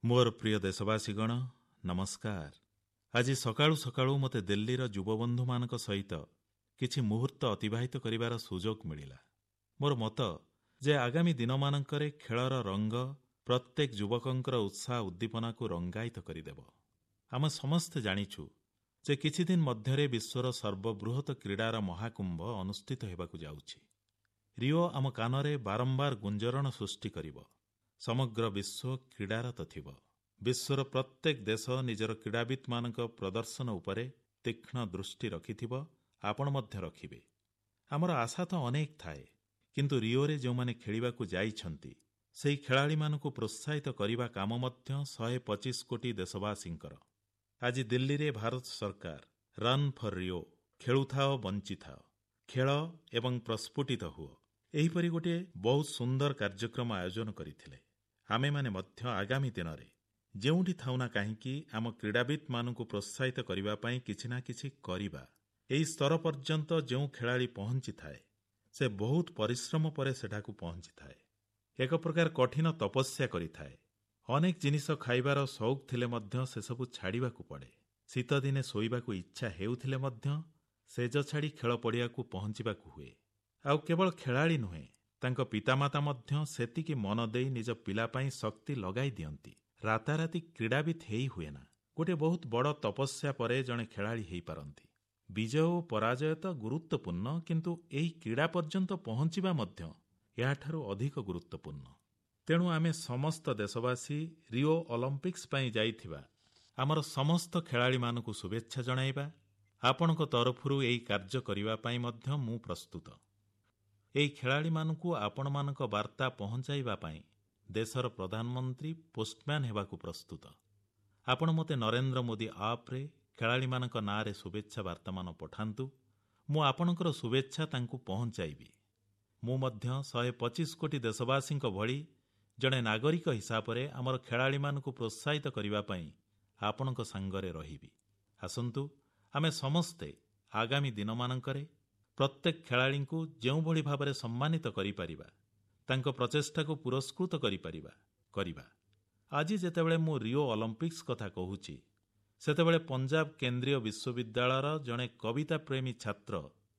ମୋର ପ୍ରିୟ ଦେଶବାସୀଗଣ, ନମସ୍କାର। ଆଜି ସକାଳୁ ସକାଳୁ ମୋତେ ଦିଲ୍ଲୀର ଯୁବବନ୍ଧୁମାନଙ୍କ ସହିତ କିଛି ମୁହୂର୍ତ୍ତ ଅତିବାହିତ କରିବାର ସୁଯୋଗ ମିଳିଲା। ମୋର ମତ ଯେ ଆଗାମୀ ଦିନମାନଙ୍କରେ ଖେଳର ରଙ୍ଗ ପ୍ରତ୍ୟେକ ଯୁବକଙ୍କର ଉତ୍ସାହ ଉଦ୍ଦୀପନାକୁ ରଙ୍ଗାୟିତ କରିଦେବ। ଆମେ ସମସ୍ତେ ଜାଣିଛୁ ଯେ କିଛିଦିନ ମଧ୍ୟରେ ବିଶ୍ୱର ସର୍ବବୃହତ କ୍ରୀଡ଼ାର ମହାକୁମ୍ଭ ଅନୁଷ୍ଠିତ ହେବାକୁ ଯାଉଛି। ରିଓ ଆମ କାନରେ ବାରମ୍ବାର ଗୁଞ୍ଜରଣ ସୃଷ୍ଟି କରିବ। ସମଗ୍ର ବିଶ୍ୱ କ୍ରୀଡ଼ାରତ ଥିବ। ବିଶ୍ୱର ପ୍ରତ୍ୟେକ ଦେଶ ନିଜର କ୍ରୀଡ଼ାବିତ୍ମାନଙ୍କ ପ୍ରଦର୍ଶନ ଉପରେ ତୀକ୍ଷ୍ଣ ଦୃଷ୍ଟି ରଖିଥିବ, ଆପଣ ମଧ୍ୟ ରଖିବେ। ଆମର ଆଶା ତ ଅନେକ ଥାଏ, କିନ୍ତୁ ରିଓରେ ଯେଉଁମାନେ ଖେଳିବାକୁ ଯାଇଛନ୍ତି, ସେହି ଖେଳାଳିମାନଙ୍କୁ ପ୍ରୋତ୍ସାହିତ କରିବା କାମ ମଧ୍ୟ 125 କୋଟି ଦେଶବାସୀଙ୍କର। ଆଜି ଦିଲ୍ଲୀରେ ଭାରତ ସରକାର ରନ୍ ଫର୍ ରିଓ, ଖେଳୁଥାଅ ବଞ୍ଚିଥାଅ, ଖେଳ ଏବଂ ପ୍ରସ୍ଫୁଟିତ ହୁଅ, ଏହିପରି ଗୋଟିଏ ବହୁତ ସୁନ୍ଦର କାର୍ଯ୍ୟକ୍ରମ ଆୟୋଜନ କରିଥିଲେ। ଆମେମାନେ ମଧ୍ୟ ଆଗାମୀ ଦିନରେ ଯେଉଁଠି ଥାଉ ନା କାହିଁକି ଆମ କ୍ରୀଡ଼ାବିତ୍ମାନଙ୍କୁ ପ୍ରୋତ୍ସାହିତ କରିବା ପାଇଁ କିଛି ନା କିଛି କରିବା। ଏହି ସ୍ତର ପର୍ଯ୍ୟନ୍ତ ଯେଉଁ ଖେଳାଳି ପହଞ୍ଚିଥାଏ, ସେ ବହୁତ ପରିଶ୍ରମ ପରେ ସେଠାକୁ ପହଞ୍ଚିଥାଏ। ଏକ ପ୍ରକାର କଠିନ ତପସ୍ୟା କରିଥାଏ। ଅନେକ ଜିନିଷ ଖାଇବାର ସଉକ ଥିଲେ ମଧ୍ୟ ସେସବୁ ଛାଡ଼ିବାକୁ ପଡ଼େ। ଶୀତଦିନେ ଶୋଇବାକୁ ଇଚ୍ଛା ହେଉଥିଲେ ମଧ୍ୟ ଶେଯ ଛାଡ଼ି ଖେଳ ପଡ଼ିଆକୁ ପହଞ୍ଚିବାକୁ ହୁଏ। ଆଉ କେବଳ ଖେଳାଳି ନୁହେଁ, ତାଙ୍କ ପିତାମାତା ମଧ୍ୟ ସେତିକି ମନ ଦେଇ ନିଜ ପିଲା ପାଇଁ ଶକ୍ତି ଲଗାଇ ଦିଅନ୍ତି। ରାତାରାତି କ୍ରୀଡ଼ାବିତ୍ ହେଇ ହୁଏନା। ଗୋଟିଏ ବହୁତ ବଡ଼ ତପସ୍ୟା ପରେ ଜଣେ ଖେଳାଳି ହେଇପାରନ୍ତି। ବିଜୟ ଓ ପରାଜୟ ତ ଗୁରୁତ୍ୱପୂର୍ଣ୍ଣ, କିନ୍ତୁ ଏହି କ୍ରୀଡ଼ା ପର୍ଯ୍ୟନ୍ତ ପହଞ୍ଚିବା ମଧ୍ୟ ଏହାଠାରୁ ଅଧିକ ଗୁରୁତ୍ୱପୂର୍ଣ୍ଣ। ତେଣୁ ଆମେ ସମସ୍ତ ଦେଶବାସୀ ରିଓ ଅଲିମ୍ପିକ୍ସ ପାଇଁ ଯାଇଥିବା ଆମର ସମସ୍ତ ଖେଳାଳିମାନଙ୍କୁ ଶୁଭେଚ୍ଛା ଜଣାଇବା। ଆପଣଙ୍କ ତରଫରୁ ଏହି କାର୍ଯ୍ୟ କରିବା ପାଇଁ ମଧ୍ୟ ମୁଁ ପ୍ରସ୍ତୁତ। ଏହି ଖେଳାଳିମାନଙ୍କୁ ଆପଣମାନଙ୍କ ବାର୍ତ୍ତା ପହଞ୍ଚାଇବା ପାଇଁ ଦେଶର ପ୍ରଧାନମନ୍ତ୍ରୀ ପୋଷ୍ଟମ୍ୟାନ୍ ହେବାକୁ ପ୍ରସ୍ତୁତ। ଆପଣ ମୋତେ ନରେନ୍ଦ୍ର ମୋଦି ଆପ୍ରେ ଖେଳାଳିମାନଙ୍କ ନାଁରେ ଶୁଭେଚ୍ଛା ବାର୍ତ୍ତାମାନ ପଠାନ୍ତୁ। ମୁଁ ଆପଣଙ୍କର ଶୁଭେଚ୍ଛା ତାଙ୍କୁ ପହଞ୍ଚାଇବି। ମୁଁ ମଧ୍ୟ 125 କୋଟି ଦେଶବାସୀଙ୍କ ଭଳି ଜଣେ ନାଗରିକ ହିସାବରେ ଆମର ଖେଳାଳିମାନଙ୍କୁ ପ୍ରୋତ୍ସାହିତ କରିବା ପାଇଁ ଆପଣଙ୍କ ସାଙ୍ଗରେ ରହିବି। ଆସନ୍ତୁ ଆମେ ସମସ୍ତେ ଆଗାମୀ ଦିନମାନଙ୍କରେ ପ୍ରତ୍ୟେକ ଖେଳାଳିଙ୍କୁ ଯେଉଁଭଳି ଭାବରେ ସମ୍ମାନିତ କରିପାରିବା, ତାଙ୍କ ପ୍ରଚେଷ୍ଟାକୁ ପୁରସ୍କୃତ କରିପାରିବା, କରିବା। ଆଜି ଯେତେବେଳେ ମୁଁ ରିଓ ଅଲିମ୍ପିକ୍ସ କଥା କହୁଛି, ସେତେବେଳେ ପଞ୍ଜାବ କେନ୍ଦ୍ରୀୟ ବିଶ୍ୱବିଦ୍ୟାଳୟର ଜଣେ କବିତା ପ୍ରେମୀ ଛାତ୍ର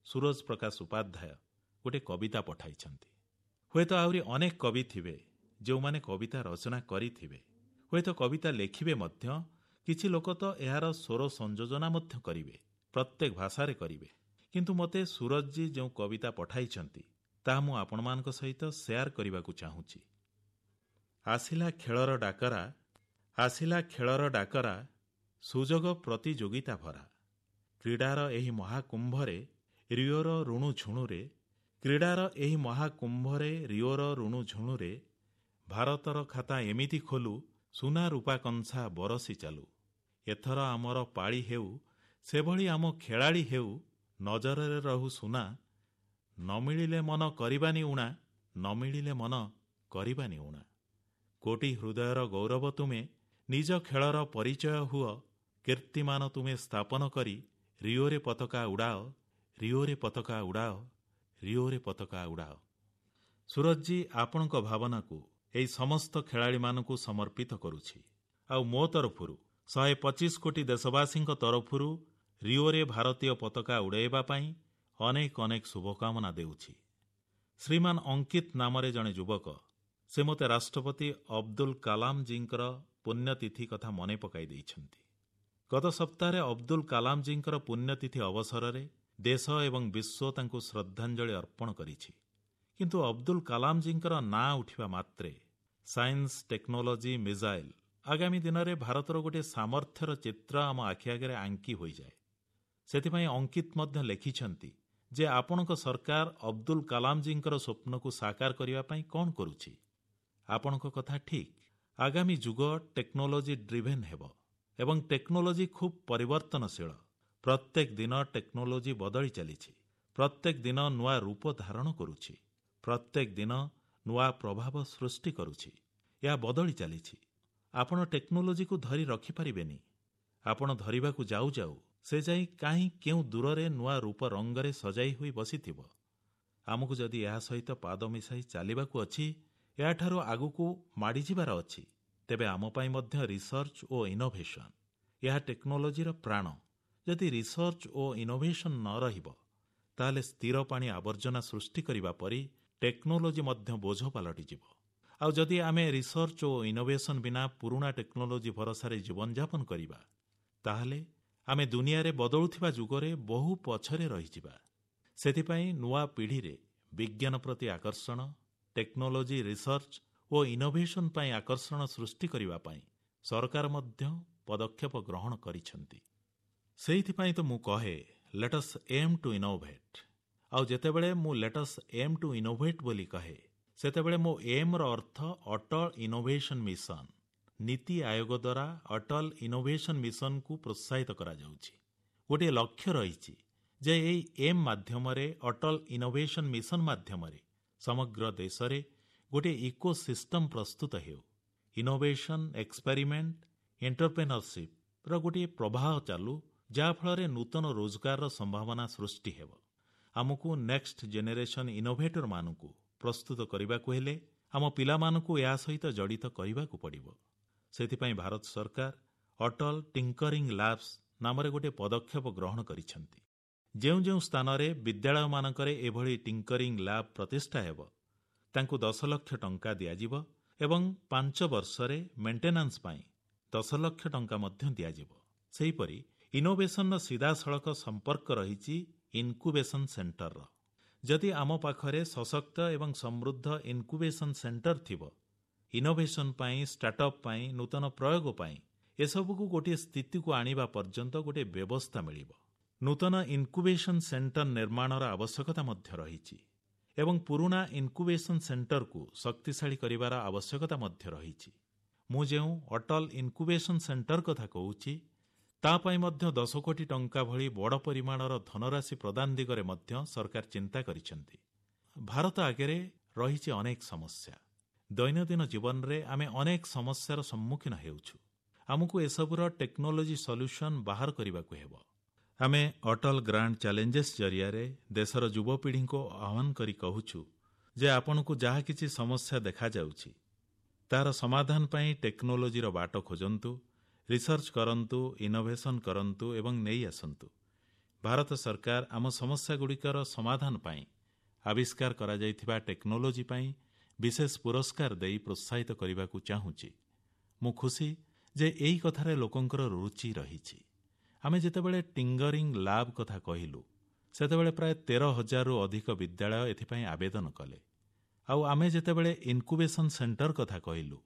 ସୂରଜ ପ୍ରକାଶ ଉପାଧ୍ୟାୟ ଗୋଟିଏ କବିତା ପଠାଇଛନ୍ତି। ହୁଏତ ଆହୁରି ଅନେକ କବି ଥିବେ ଯେଉଁମାନେ କବିତା ରଚନା କରିଥିବେ, ହୁଏତ କବିତା ଲେଖିବେ ମଧ୍ୟ। କିଛି ଲୋକ ତ ଏହାର ସ୍ୱର ସଂଯୋଜନା ମଧ୍ୟ କରିବେ, ପ୍ରତ୍ୟେକ ଭାଷାରେ କରିବେ। କିନ୍ତୁ ମୋତେ ସୂରଜଜୀ ଯେଉଁ କବିତା ପଠାଇଛନ୍ତି, ତାହା ମୁଁ ଆପଣମାନଙ୍କ ସହିତ ସେୟାର କରିବାକୁ ଚାହୁଁଛି। ଆସିଲା ଖେଳର ଡାକରା, ଆସିଲା ଖେଳର ଡାକରା, ସୁଯୋଗ ପ୍ରତିଯୋଗିତା ଭରା। କ୍ରୀଡ଼ାର ଏହି ମହାକୁମ୍ଭରେ ରିଓର ରୁଣୁଝୁଣୁରେ, କ୍ରୀଡ଼ାର ଏହି ମହାକୁମ୍ଭରେ ରିଓର ରୁଣୁଝୁଣୁରେ, ଭାରତର ଖାତା ଏମିତି ଖୋଲୁ, ସୁନା ରୂପା କଂସା ବରସି ଚାଲୁ। ଏଥର ଆମର ପାଳି ହେଉ, ସେଭଳି ଆମ ଖେଳାଳି ହେଉ, ନଜରରେ ରହୁ ସୁନା, ନ ମିଳିଲେ ମନ କରିବାନି ଊଣା, ନ ମିଳିଲେ ମନ କରିବାନି ଊଣା। କୋଟି ହୃଦୟର ଗୌରବ ତୁମେ, ନିଜ ଖେଳର ପରିଚୟ ହୁଅ, କୀର୍ତ୍ତିମାନ ତୁମେ ସ୍ଥାପନ କରି ରିଓରେ ପତାକା ଉଡ଼ାଅ, ରିଓରେ ପତାକା ଉଡ଼ାଅ, ରିଓରେ ପତାକା ଉଡ଼ାଅ। ସୁରଜଜୀ, ଆପଣଙ୍କ ଭାବନାକୁ ଏହି ସମସ୍ତ ଖେଳାଳିମାନଙ୍କୁ ସମର୍ପିତ କରୁଛି। ଆଉ ମୋ ତରଫରୁ, 125 କୋଟି ଦେଶବାସୀଙ୍କ ତରଫରୁ ରିଓରେ ଭାରତୀୟ ପତାକା ଉଡ଼ାଇବା ପାଇଁ ଅନେକ ଅନେକ ଶୁଭକାମନା ଦେଉଛି। ଶ୍ରୀମାନ ଅଙ୍କିତ ନାମରେ ଜଣେ ଯୁବକ, ସେ ମୋତେ ରାଷ୍ଟ୍ରପତି ଅବଦୁଲ କାଲାମଜୀଙ୍କର ପୁଣ୍ୟତିଥି କଥା ମନେ ପକାଇ ଦେଇଛନ୍ତି। ଗତ ସପ୍ତାହରେ ଅବଦୁଲ କାଲାମଜୀଙ୍କର ପୁଣ୍ୟତିଥି ଅବସରରେ ଦେଶ ଏବଂ ବିଶ୍ୱ ତାଙ୍କୁ ଶ୍ରଦ୍ଧାଞ୍ଜଳି ଅର୍ପଣ କରିଛି। କିନ୍ତୁ ଅବଦୁଲ କାଲାମଜୀଙ୍କର ନାଁ ଉଠିବା ମାତ୍ରେ ସାଇନ୍ସ, ଟେକ୍ନୋଲୋଜି, ମିସାଇଲ, ଆଗାମୀ ଦିନରେ ଭାରତର ଗୋଟିଏ ସାମର୍ଥ୍ୟର ଚିତ୍ର ଆମ ଆଖି ଆଗରେ ଆଙ୍କି ହୋଇଯାଏ। ସେଥିପାଇଁ ଅଙ୍କିତ ମଧ୍ୟ ଲେଖିଛନ୍ତି ଯେ ଆପଣଙ୍କ ସରକାର ଅବଦୁଲ କାଲାମଜୀଙ୍କର ସ୍ୱପ୍ନକୁ ସାକାର କରିବା ପାଇଁ କଣ କରୁଛି? ଆପଣଙ୍କ କଥା ଠିକ୍। ଆଗାମୀ ଯୁଗ ଟେକ୍ନୋଲୋଜି ଡ୍ରିଭେନ୍ ହେବ ଏବଂ ଟେକ୍ନୋଲୋଜି ଖୁବ୍ ପରିବର୍ତ୍ତନଶୀଳ। ପ୍ରତ୍ୟେକ ଦିନ ଟେକ୍ନୋଲୋଜି ବଦଳି ଚାଲିଛି, ପ୍ରତ୍ୟେକ ଦିନ ନୂଆ ରୂପ ଧାରଣ କରୁଛି, ପ୍ରତ୍ୟେକ ଦିନ ନୂଆ ପ୍ରଭାବ ସୃଷ୍ଟି କରୁଛି। ଏହା ବଦଳି ଚାଲିଛି। ଆପଣ ଟେକ୍ନୋଲୋଜିକୁ ଧରି ରଖିପାରିବେନି। ଆପଣ ଧରିବାକୁ ଯାଉ ଯାଉ ସେ ଯାଇ କାହିଁ କେଉଁ ଦୂରରେ ନୂଆ ରୂପ ରଙ୍ଗରେ ସଜାଇ ହୋଇ ବସିଥିବ। ଆମକୁ ଯଦି ଏହା ସହିତ ପାଦ ମିଶାଇ ଚାଲିବାକୁ ଅଛି, ଏହାଠାରୁ ଆଗକୁ ମାଡ଼ିଯିବାର ଅଛି, ତେବେ ଆମ ପାଇଁ ମଧ୍ୟ ରିସର୍ଚ୍ଚ ଓ ଇନୋଭେସନ, ଏହା ଟେକ୍ନୋଲୋଜିର ପ୍ରାଣ। ଯଦି ରିସର୍ଚ୍ଚ ଓ ଇନୋଭେସନ ନ ରହିବ, ତାହେଲେ ସ୍ଥିର ପାଣି ଆବର୍ଜନା ସୃଷ୍ଟି କରିବା ପରି ଟେକ୍ନୋଲୋଜି ମଧ୍ୟ ବୋଝ ପାଲଟିଯିବ। ଆଉ ଯଦି ଆମେ ରିସର୍ଚ୍ଚ ଓ ଇନୋଭେସନ ବିନା ପୁରୁଣା ଟେକ୍ନୋଲୋଜି ଭରସାରେ ଜୀବନଯାପନ କରିବା, ତାହେଲେ ଆମେ ଦୁନିଆରେ ବଦଳୁଥିବା ଯୁଗରେ ବହୁ ପଛରେ ରହିଯିବା। ସେଥିପାଇଁ ନୂଆ ପିଢ଼ିରେ ବିଜ୍ଞାନ ପ୍ରତି ଆକର୍ଷଣ, ଟେକ୍ନୋଲୋଜି, ରିସର୍ଚ୍ଚ ଓ ଇନୋଭେସନ ପାଇଁ ଆକର୍ଷଣ ସୃଷ୍ଟି କରିବା ପାଇଁ ସରକାର ମଧ୍ୟ ପଦକ୍ଷେପ ଗ୍ରହଣ କରିଛନ୍ତି। ସେଇଥିପାଇଁ ତ ମୁଁ କହେ, let us aim to innovate। ଆଉ ଯେତେବେଳେ ମୁଁ let us aim to innovate ବୋଲି କହେ, ସେତେବେଳେ ମୋ ଏମ୍ର ଅର୍ଥ ଅଟଳ ଇନୋଭେସନ ମିଶନ। ନୀତି ଆୟୋଗ ଦ୍ୱାରା ଅଟଳ ଇନୋଭେସନ ମିଶନକୁ ପ୍ରୋତ୍ସାହିତ କରାଯାଉଛି। ଗୋଟିଏ ଲକ୍ଷ୍ୟ ରହିଛି ଯେ ଏହି ଏମ୍ ମାଧ୍ୟମରେ, ଅଟଳ ଇନୋଭେସନ ମିଶନ ମାଧ୍ୟମରେ ସମଗ୍ର ଦେଶରେ ଗୋଟିଏ ଇକୋ ସିଷ୍ଟମ ପ୍ରସ୍ତୁତ ହେଉ। ଇନୋଭେସନ, ଏକ୍ସପେରିମେଣ୍ଟ, ଏଣ୍ଟରପ୍ରେନରସିପ୍ର ଗୋଟିଏ ପ୍ରବାହ ଚାଲୁ, ଯାହାଫଳରେ ନୂତନ ରୋଜଗାରର ସମ୍ଭାବନା ସୃଷ୍ଟି ହେବ। ଆମକୁ ନେକ୍ସଟ ଜେନେରେସନ ଇନୋଭେଟରମାନଙ୍କୁ ପ୍ରସ୍ତୁତ କରିବାକୁ ହେଲେ ଆମ ପିଲାମାନଙ୍କୁ ଏହା ସହିତ ଜଡ଼ିତ କରିବାକୁ ପଡ଼ିବ। ସେଥିପାଇଁ ଭାରତ ସରକାର ଅଟଳ ଟିଙ୍କରିଂ ଲ୍ୟାବ୍ସ ନାମରେ ଗୋଟିଏ ପଦକ୍ଷେପ ଗ୍ରହଣ କରିଛନ୍ତି। ଯେଉଁ ଯେଉଁ ସ୍ଥାନରେ ବିଦ୍ୟାଳୟମାନଙ୍କରେ ଏଭଳି ଟିଙ୍କରିଂ ଲ୍ୟାବ୍ ପ୍ରତିଷ୍ଠା ହେବ, ତାଙ୍କୁ 10 ଲକ୍ଷ ଟଙ୍କା ଦିଆଯିବ ଏବଂ 5 ବର୍ଷରେ ମେଣ୍ଟେନାନ୍ସ ପାଇଁ 10 ଲକ୍ଷ ଟଙ୍କା ମଧ୍ୟ ଦିଆଯିବ। ସେହିପରି ଇନୋଭେସନର ସିଧାସଳଖ ସମ୍ପର୍କ ରହିଛି ଇନକ୍ୟୁବେସନ ସେଣ୍ଟରର। ଯଦି ଆମ ପାଖରେ ସଶକ୍ତ ଏବଂ ସମୃଦ୍ଧ ଇନକ୍ୟୁବେସନ ସେଣ୍ଟର ଥିବ, ଇନୋଭେସନ ପାଇଁ, ଷ୍ଟାର୍ଟଅପ୍ ପାଇଁ, ନୂତନ ପ୍ରୟୋଗ ପାଇଁ, ଏସବୁକୁ ଗୋଟିଏ ସ୍ଥିତିକୁ ଆଣିବା ପର୍ଯ୍ୟନ୍ତ ଗୋଟିଏ ବ୍ୟବସ୍ଥା ମିଳିବ। ନୂତନ ଇନକ୍ୟୁବେସନ ସେଣ୍ଟର ନିର୍ମାଣର ଆବଶ୍ୟକତା ମଧ୍ୟ ରହିଛି ଏବଂ ପୁରୁଣା ଇନକ୍ୟୁବେସନ ସେଣ୍ଟରକୁ ଶକ୍ତିଶାଳୀ କରିବାର ଆବଶ୍ୟକତା ମଧ୍ୟ ରହିଛି। ମୁଁ ଯେଉଁ ଅଟଳ ଇନକ୍ୟୁବେସନ ସେଣ୍ଟର କଥା କହୁଛି, ତା ପାଇଁ ମଧ୍ୟ 10 କୋଟି ଟଙ୍କା ଭଳି ବଡ଼ ପରିମାଣର ଧନରାଶି ପ୍ରଦାନ ଦିଗରେ ମଧ୍ୟ ସରକାର ଚିନ୍ତା କରିଛନ୍ତି। ଭାରତ ଆଗରେ ରହିଛି ଅନେକ ସମସ୍ୟା। ଦୈନନ୍ଦିନ ଜୀବନରେ ଆମେ ଅନେକ ସମସ୍ୟାର ସମ୍ମୁଖୀନ ହେଉଛୁ। ଆମକୁ ଏସବୁର ଟେକ୍ନୋଲୋଜି ସଲ୍ୟୁସନ ବାହାର କରିବାକୁ ହେବ। ଆମେ ଅଟଳ ଗ୍ରାଣ୍ଡ ଚ୍ୟାଲେଞ୍ଜେସ୍ ଜରିଆରେ ଦେଶର ଯୁବପିଢ଼ିଙ୍କୁ ଆହ୍ୱାନ କରି କହୁଛୁ ଯେ ଆପଣଙ୍କୁ ଯାହା କିଛି ସମସ୍ୟା ଦେଖାଯାଉଛି, ତାହାର ସମାଧାନ ପାଇଁ ଟେକ୍ନୋଲୋଜିର ବାଟ ଖୋଜନ୍ତୁ, ରିସର୍ଚ୍ଚ କରନ୍ତୁ, ଇନୋଭେସନ କରନ୍ତୁ ଏବଂ ନେଇ ଆସନ୍ତୁ। ଭାରତ ସରକାର ଆମ ସମସ୍ୟାଗୁଡ଼ିକର ସମାଧାନ ପାଇଁ ଆବିଷ୍କାର କରାଯାଇଥିବା ଟେକ୍ନୋଲୋଜି ପାଇଁ ବିଶେଷ ପୁରସ୍କାର ଦେଇ ପ୍ରୋତ୍ସାହିତ କରିବାକୁ ଚାହୁଁଛି। ମୁଁ ଖୁସି ଯେ ଏହି କଥାରେ ଲୋକଙ୍କର ରୁଚି ରହିଛି। ଆମେ ଯେତେବେଳେ ଟିଙ୍କରିଂ ଲ୍ୟାବ୍ କଥା କହିଲୁ, ସେତେବେଳେ ପ୍ରାୟ 13,000ରୁ ଅଧିକ ବିଦ୍ୟାଳୟ ଏଥିପାଇଁ ଆବେଦନ କଲେ। ଆଉ ଆମେ ଯେତେବେଳେ ଇନକ୍ୟୁବେସନ ସେଣ୍ଟର କଥା କହିଲୁ,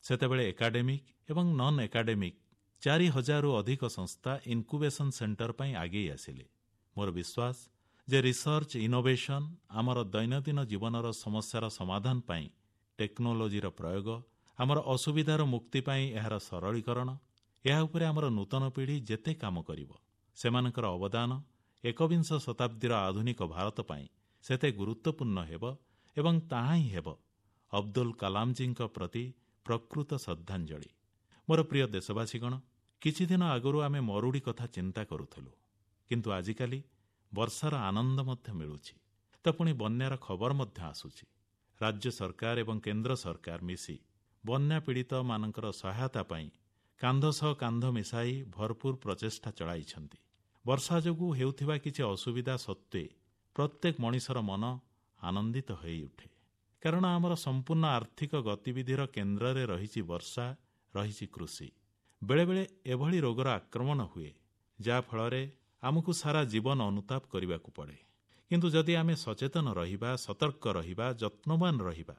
ସେତେବେଳେ ଏକାଡେମିକ୍ ଏବଂ ନନ୍ ଏକାଡେମିକ୍ 4,000ରୁ ଅଧିକ ସଂସ୍ଥା ଇନକ୍ୟୁବେସନ ସେଣ୍ଟର ପାଇଁ ଆଗେଇ ଆସିଲେ। ମୋର ବିଶ୍ୱାସ ଯେ ରିସର୍ଚ୍ଚ, ଇନୋଭେସନ, ଆମର ଦୈନନ୍ଦିନ ଜୀବନର ସମସ୍ୟାର ସମାଧାନ ପାଇଁ ଟେକ୍ନୋଲୋଜିର ପ୍ରୟୋଗ, ଆମର ଅସୁବିଧାରୁ ମୁକ୍ତି ପାଇଁ ଏହାର ସରଳୀକରଣ, ଏହା ଉପରେ ଆମର ନୂତନ ପିଢ଼ି ଯେତେ କାମ କରିବ, ସେମାନଙ୍କର ଅବଦାନ ଏକବିଂଶ ଶତାବ୍ଦୀର ଆଧୁନିକ ଭାରତ ପାଇଁ ସେତେ ଗୁରୁତ୍ୱପୂର୍ଣ୍ଣ ହେବ ଏବଂ ତାହା ହିଁ ହେବ ଅବଦୁଲ କଲାମଜୀଙ୍କ ପ୍ରତି ପ୍ରକୃତ ଶ୍ରଦ୍ଧାଞ୍ଜଳି। ମୋର ପ୍ରିୟ ଦେଶବାସୀଗଣ, କିଛିଦିନ ଆଗରୁ ଆମେ ମରୁଡ଼ି କଥା ଚିନ୍ତା କରୁଥିଲୁ, କିନ୍ତୁ ଆଜିକାଲି ବର୍ଷାର ଆନନ୍ଦ ମଧ୍ୟ ମିଳୁଛି ତ ପୁଣି ବନ୍ୟାର ଖବର ମଧ୍ୟ ଆସୁଛି। ରାଜ୍ୟ ସରକାର ଏବଂ କେନ୍ଦ୍ର ସରକାର ମିଶି ବନ୍ୟା ପୀଡ଼ିତମାନଙ୍କର ସହାୟତା ପାଇଁ କାନ୍ଧ ସହ କାନ୍ଧ ମିଶାଇ ଭରପୁର ପ୍ରଚେଷ୍ଟା ଚଳାଇଛନ୍ତି। ବର୍ଷା ଯୋଗୁଁ ହେଉଥିବା କିଛି ଅସୁବିଧା ସତ୍ତ୍ୱେ ପ୍ରତ୍ୟେକ ମଣିଷର ମନ ଆନନ୍ଦିତ ହୋଇଉଠେ, କାରଣ ଆମର ସମ୍ପୂର୍ଣ୍ଣ ଆର୍ଥିକ ଗତିବିଧିର କେନ୍ଦ୍ରରେ ରହିଛି ବର୍ଷା, ରହିଛି କୃଷି। ବେଳେବେଳେ ଏଭଳି ରୋଗର ଆକ୍ରମଣ ହୁଏ, ଯାହାଫଳରେ ଆମକୁ ସାରା ଜୀବନ ଅନୁତାପ କରିବାକୁ ପଡ଼େ। କିନ୍ତୁ ଯଦି ଆମେ ସଚେତନ ରହିବା, ସତର୍କ ରହିବା, ଯତ୍ନବାନ ରହିବା,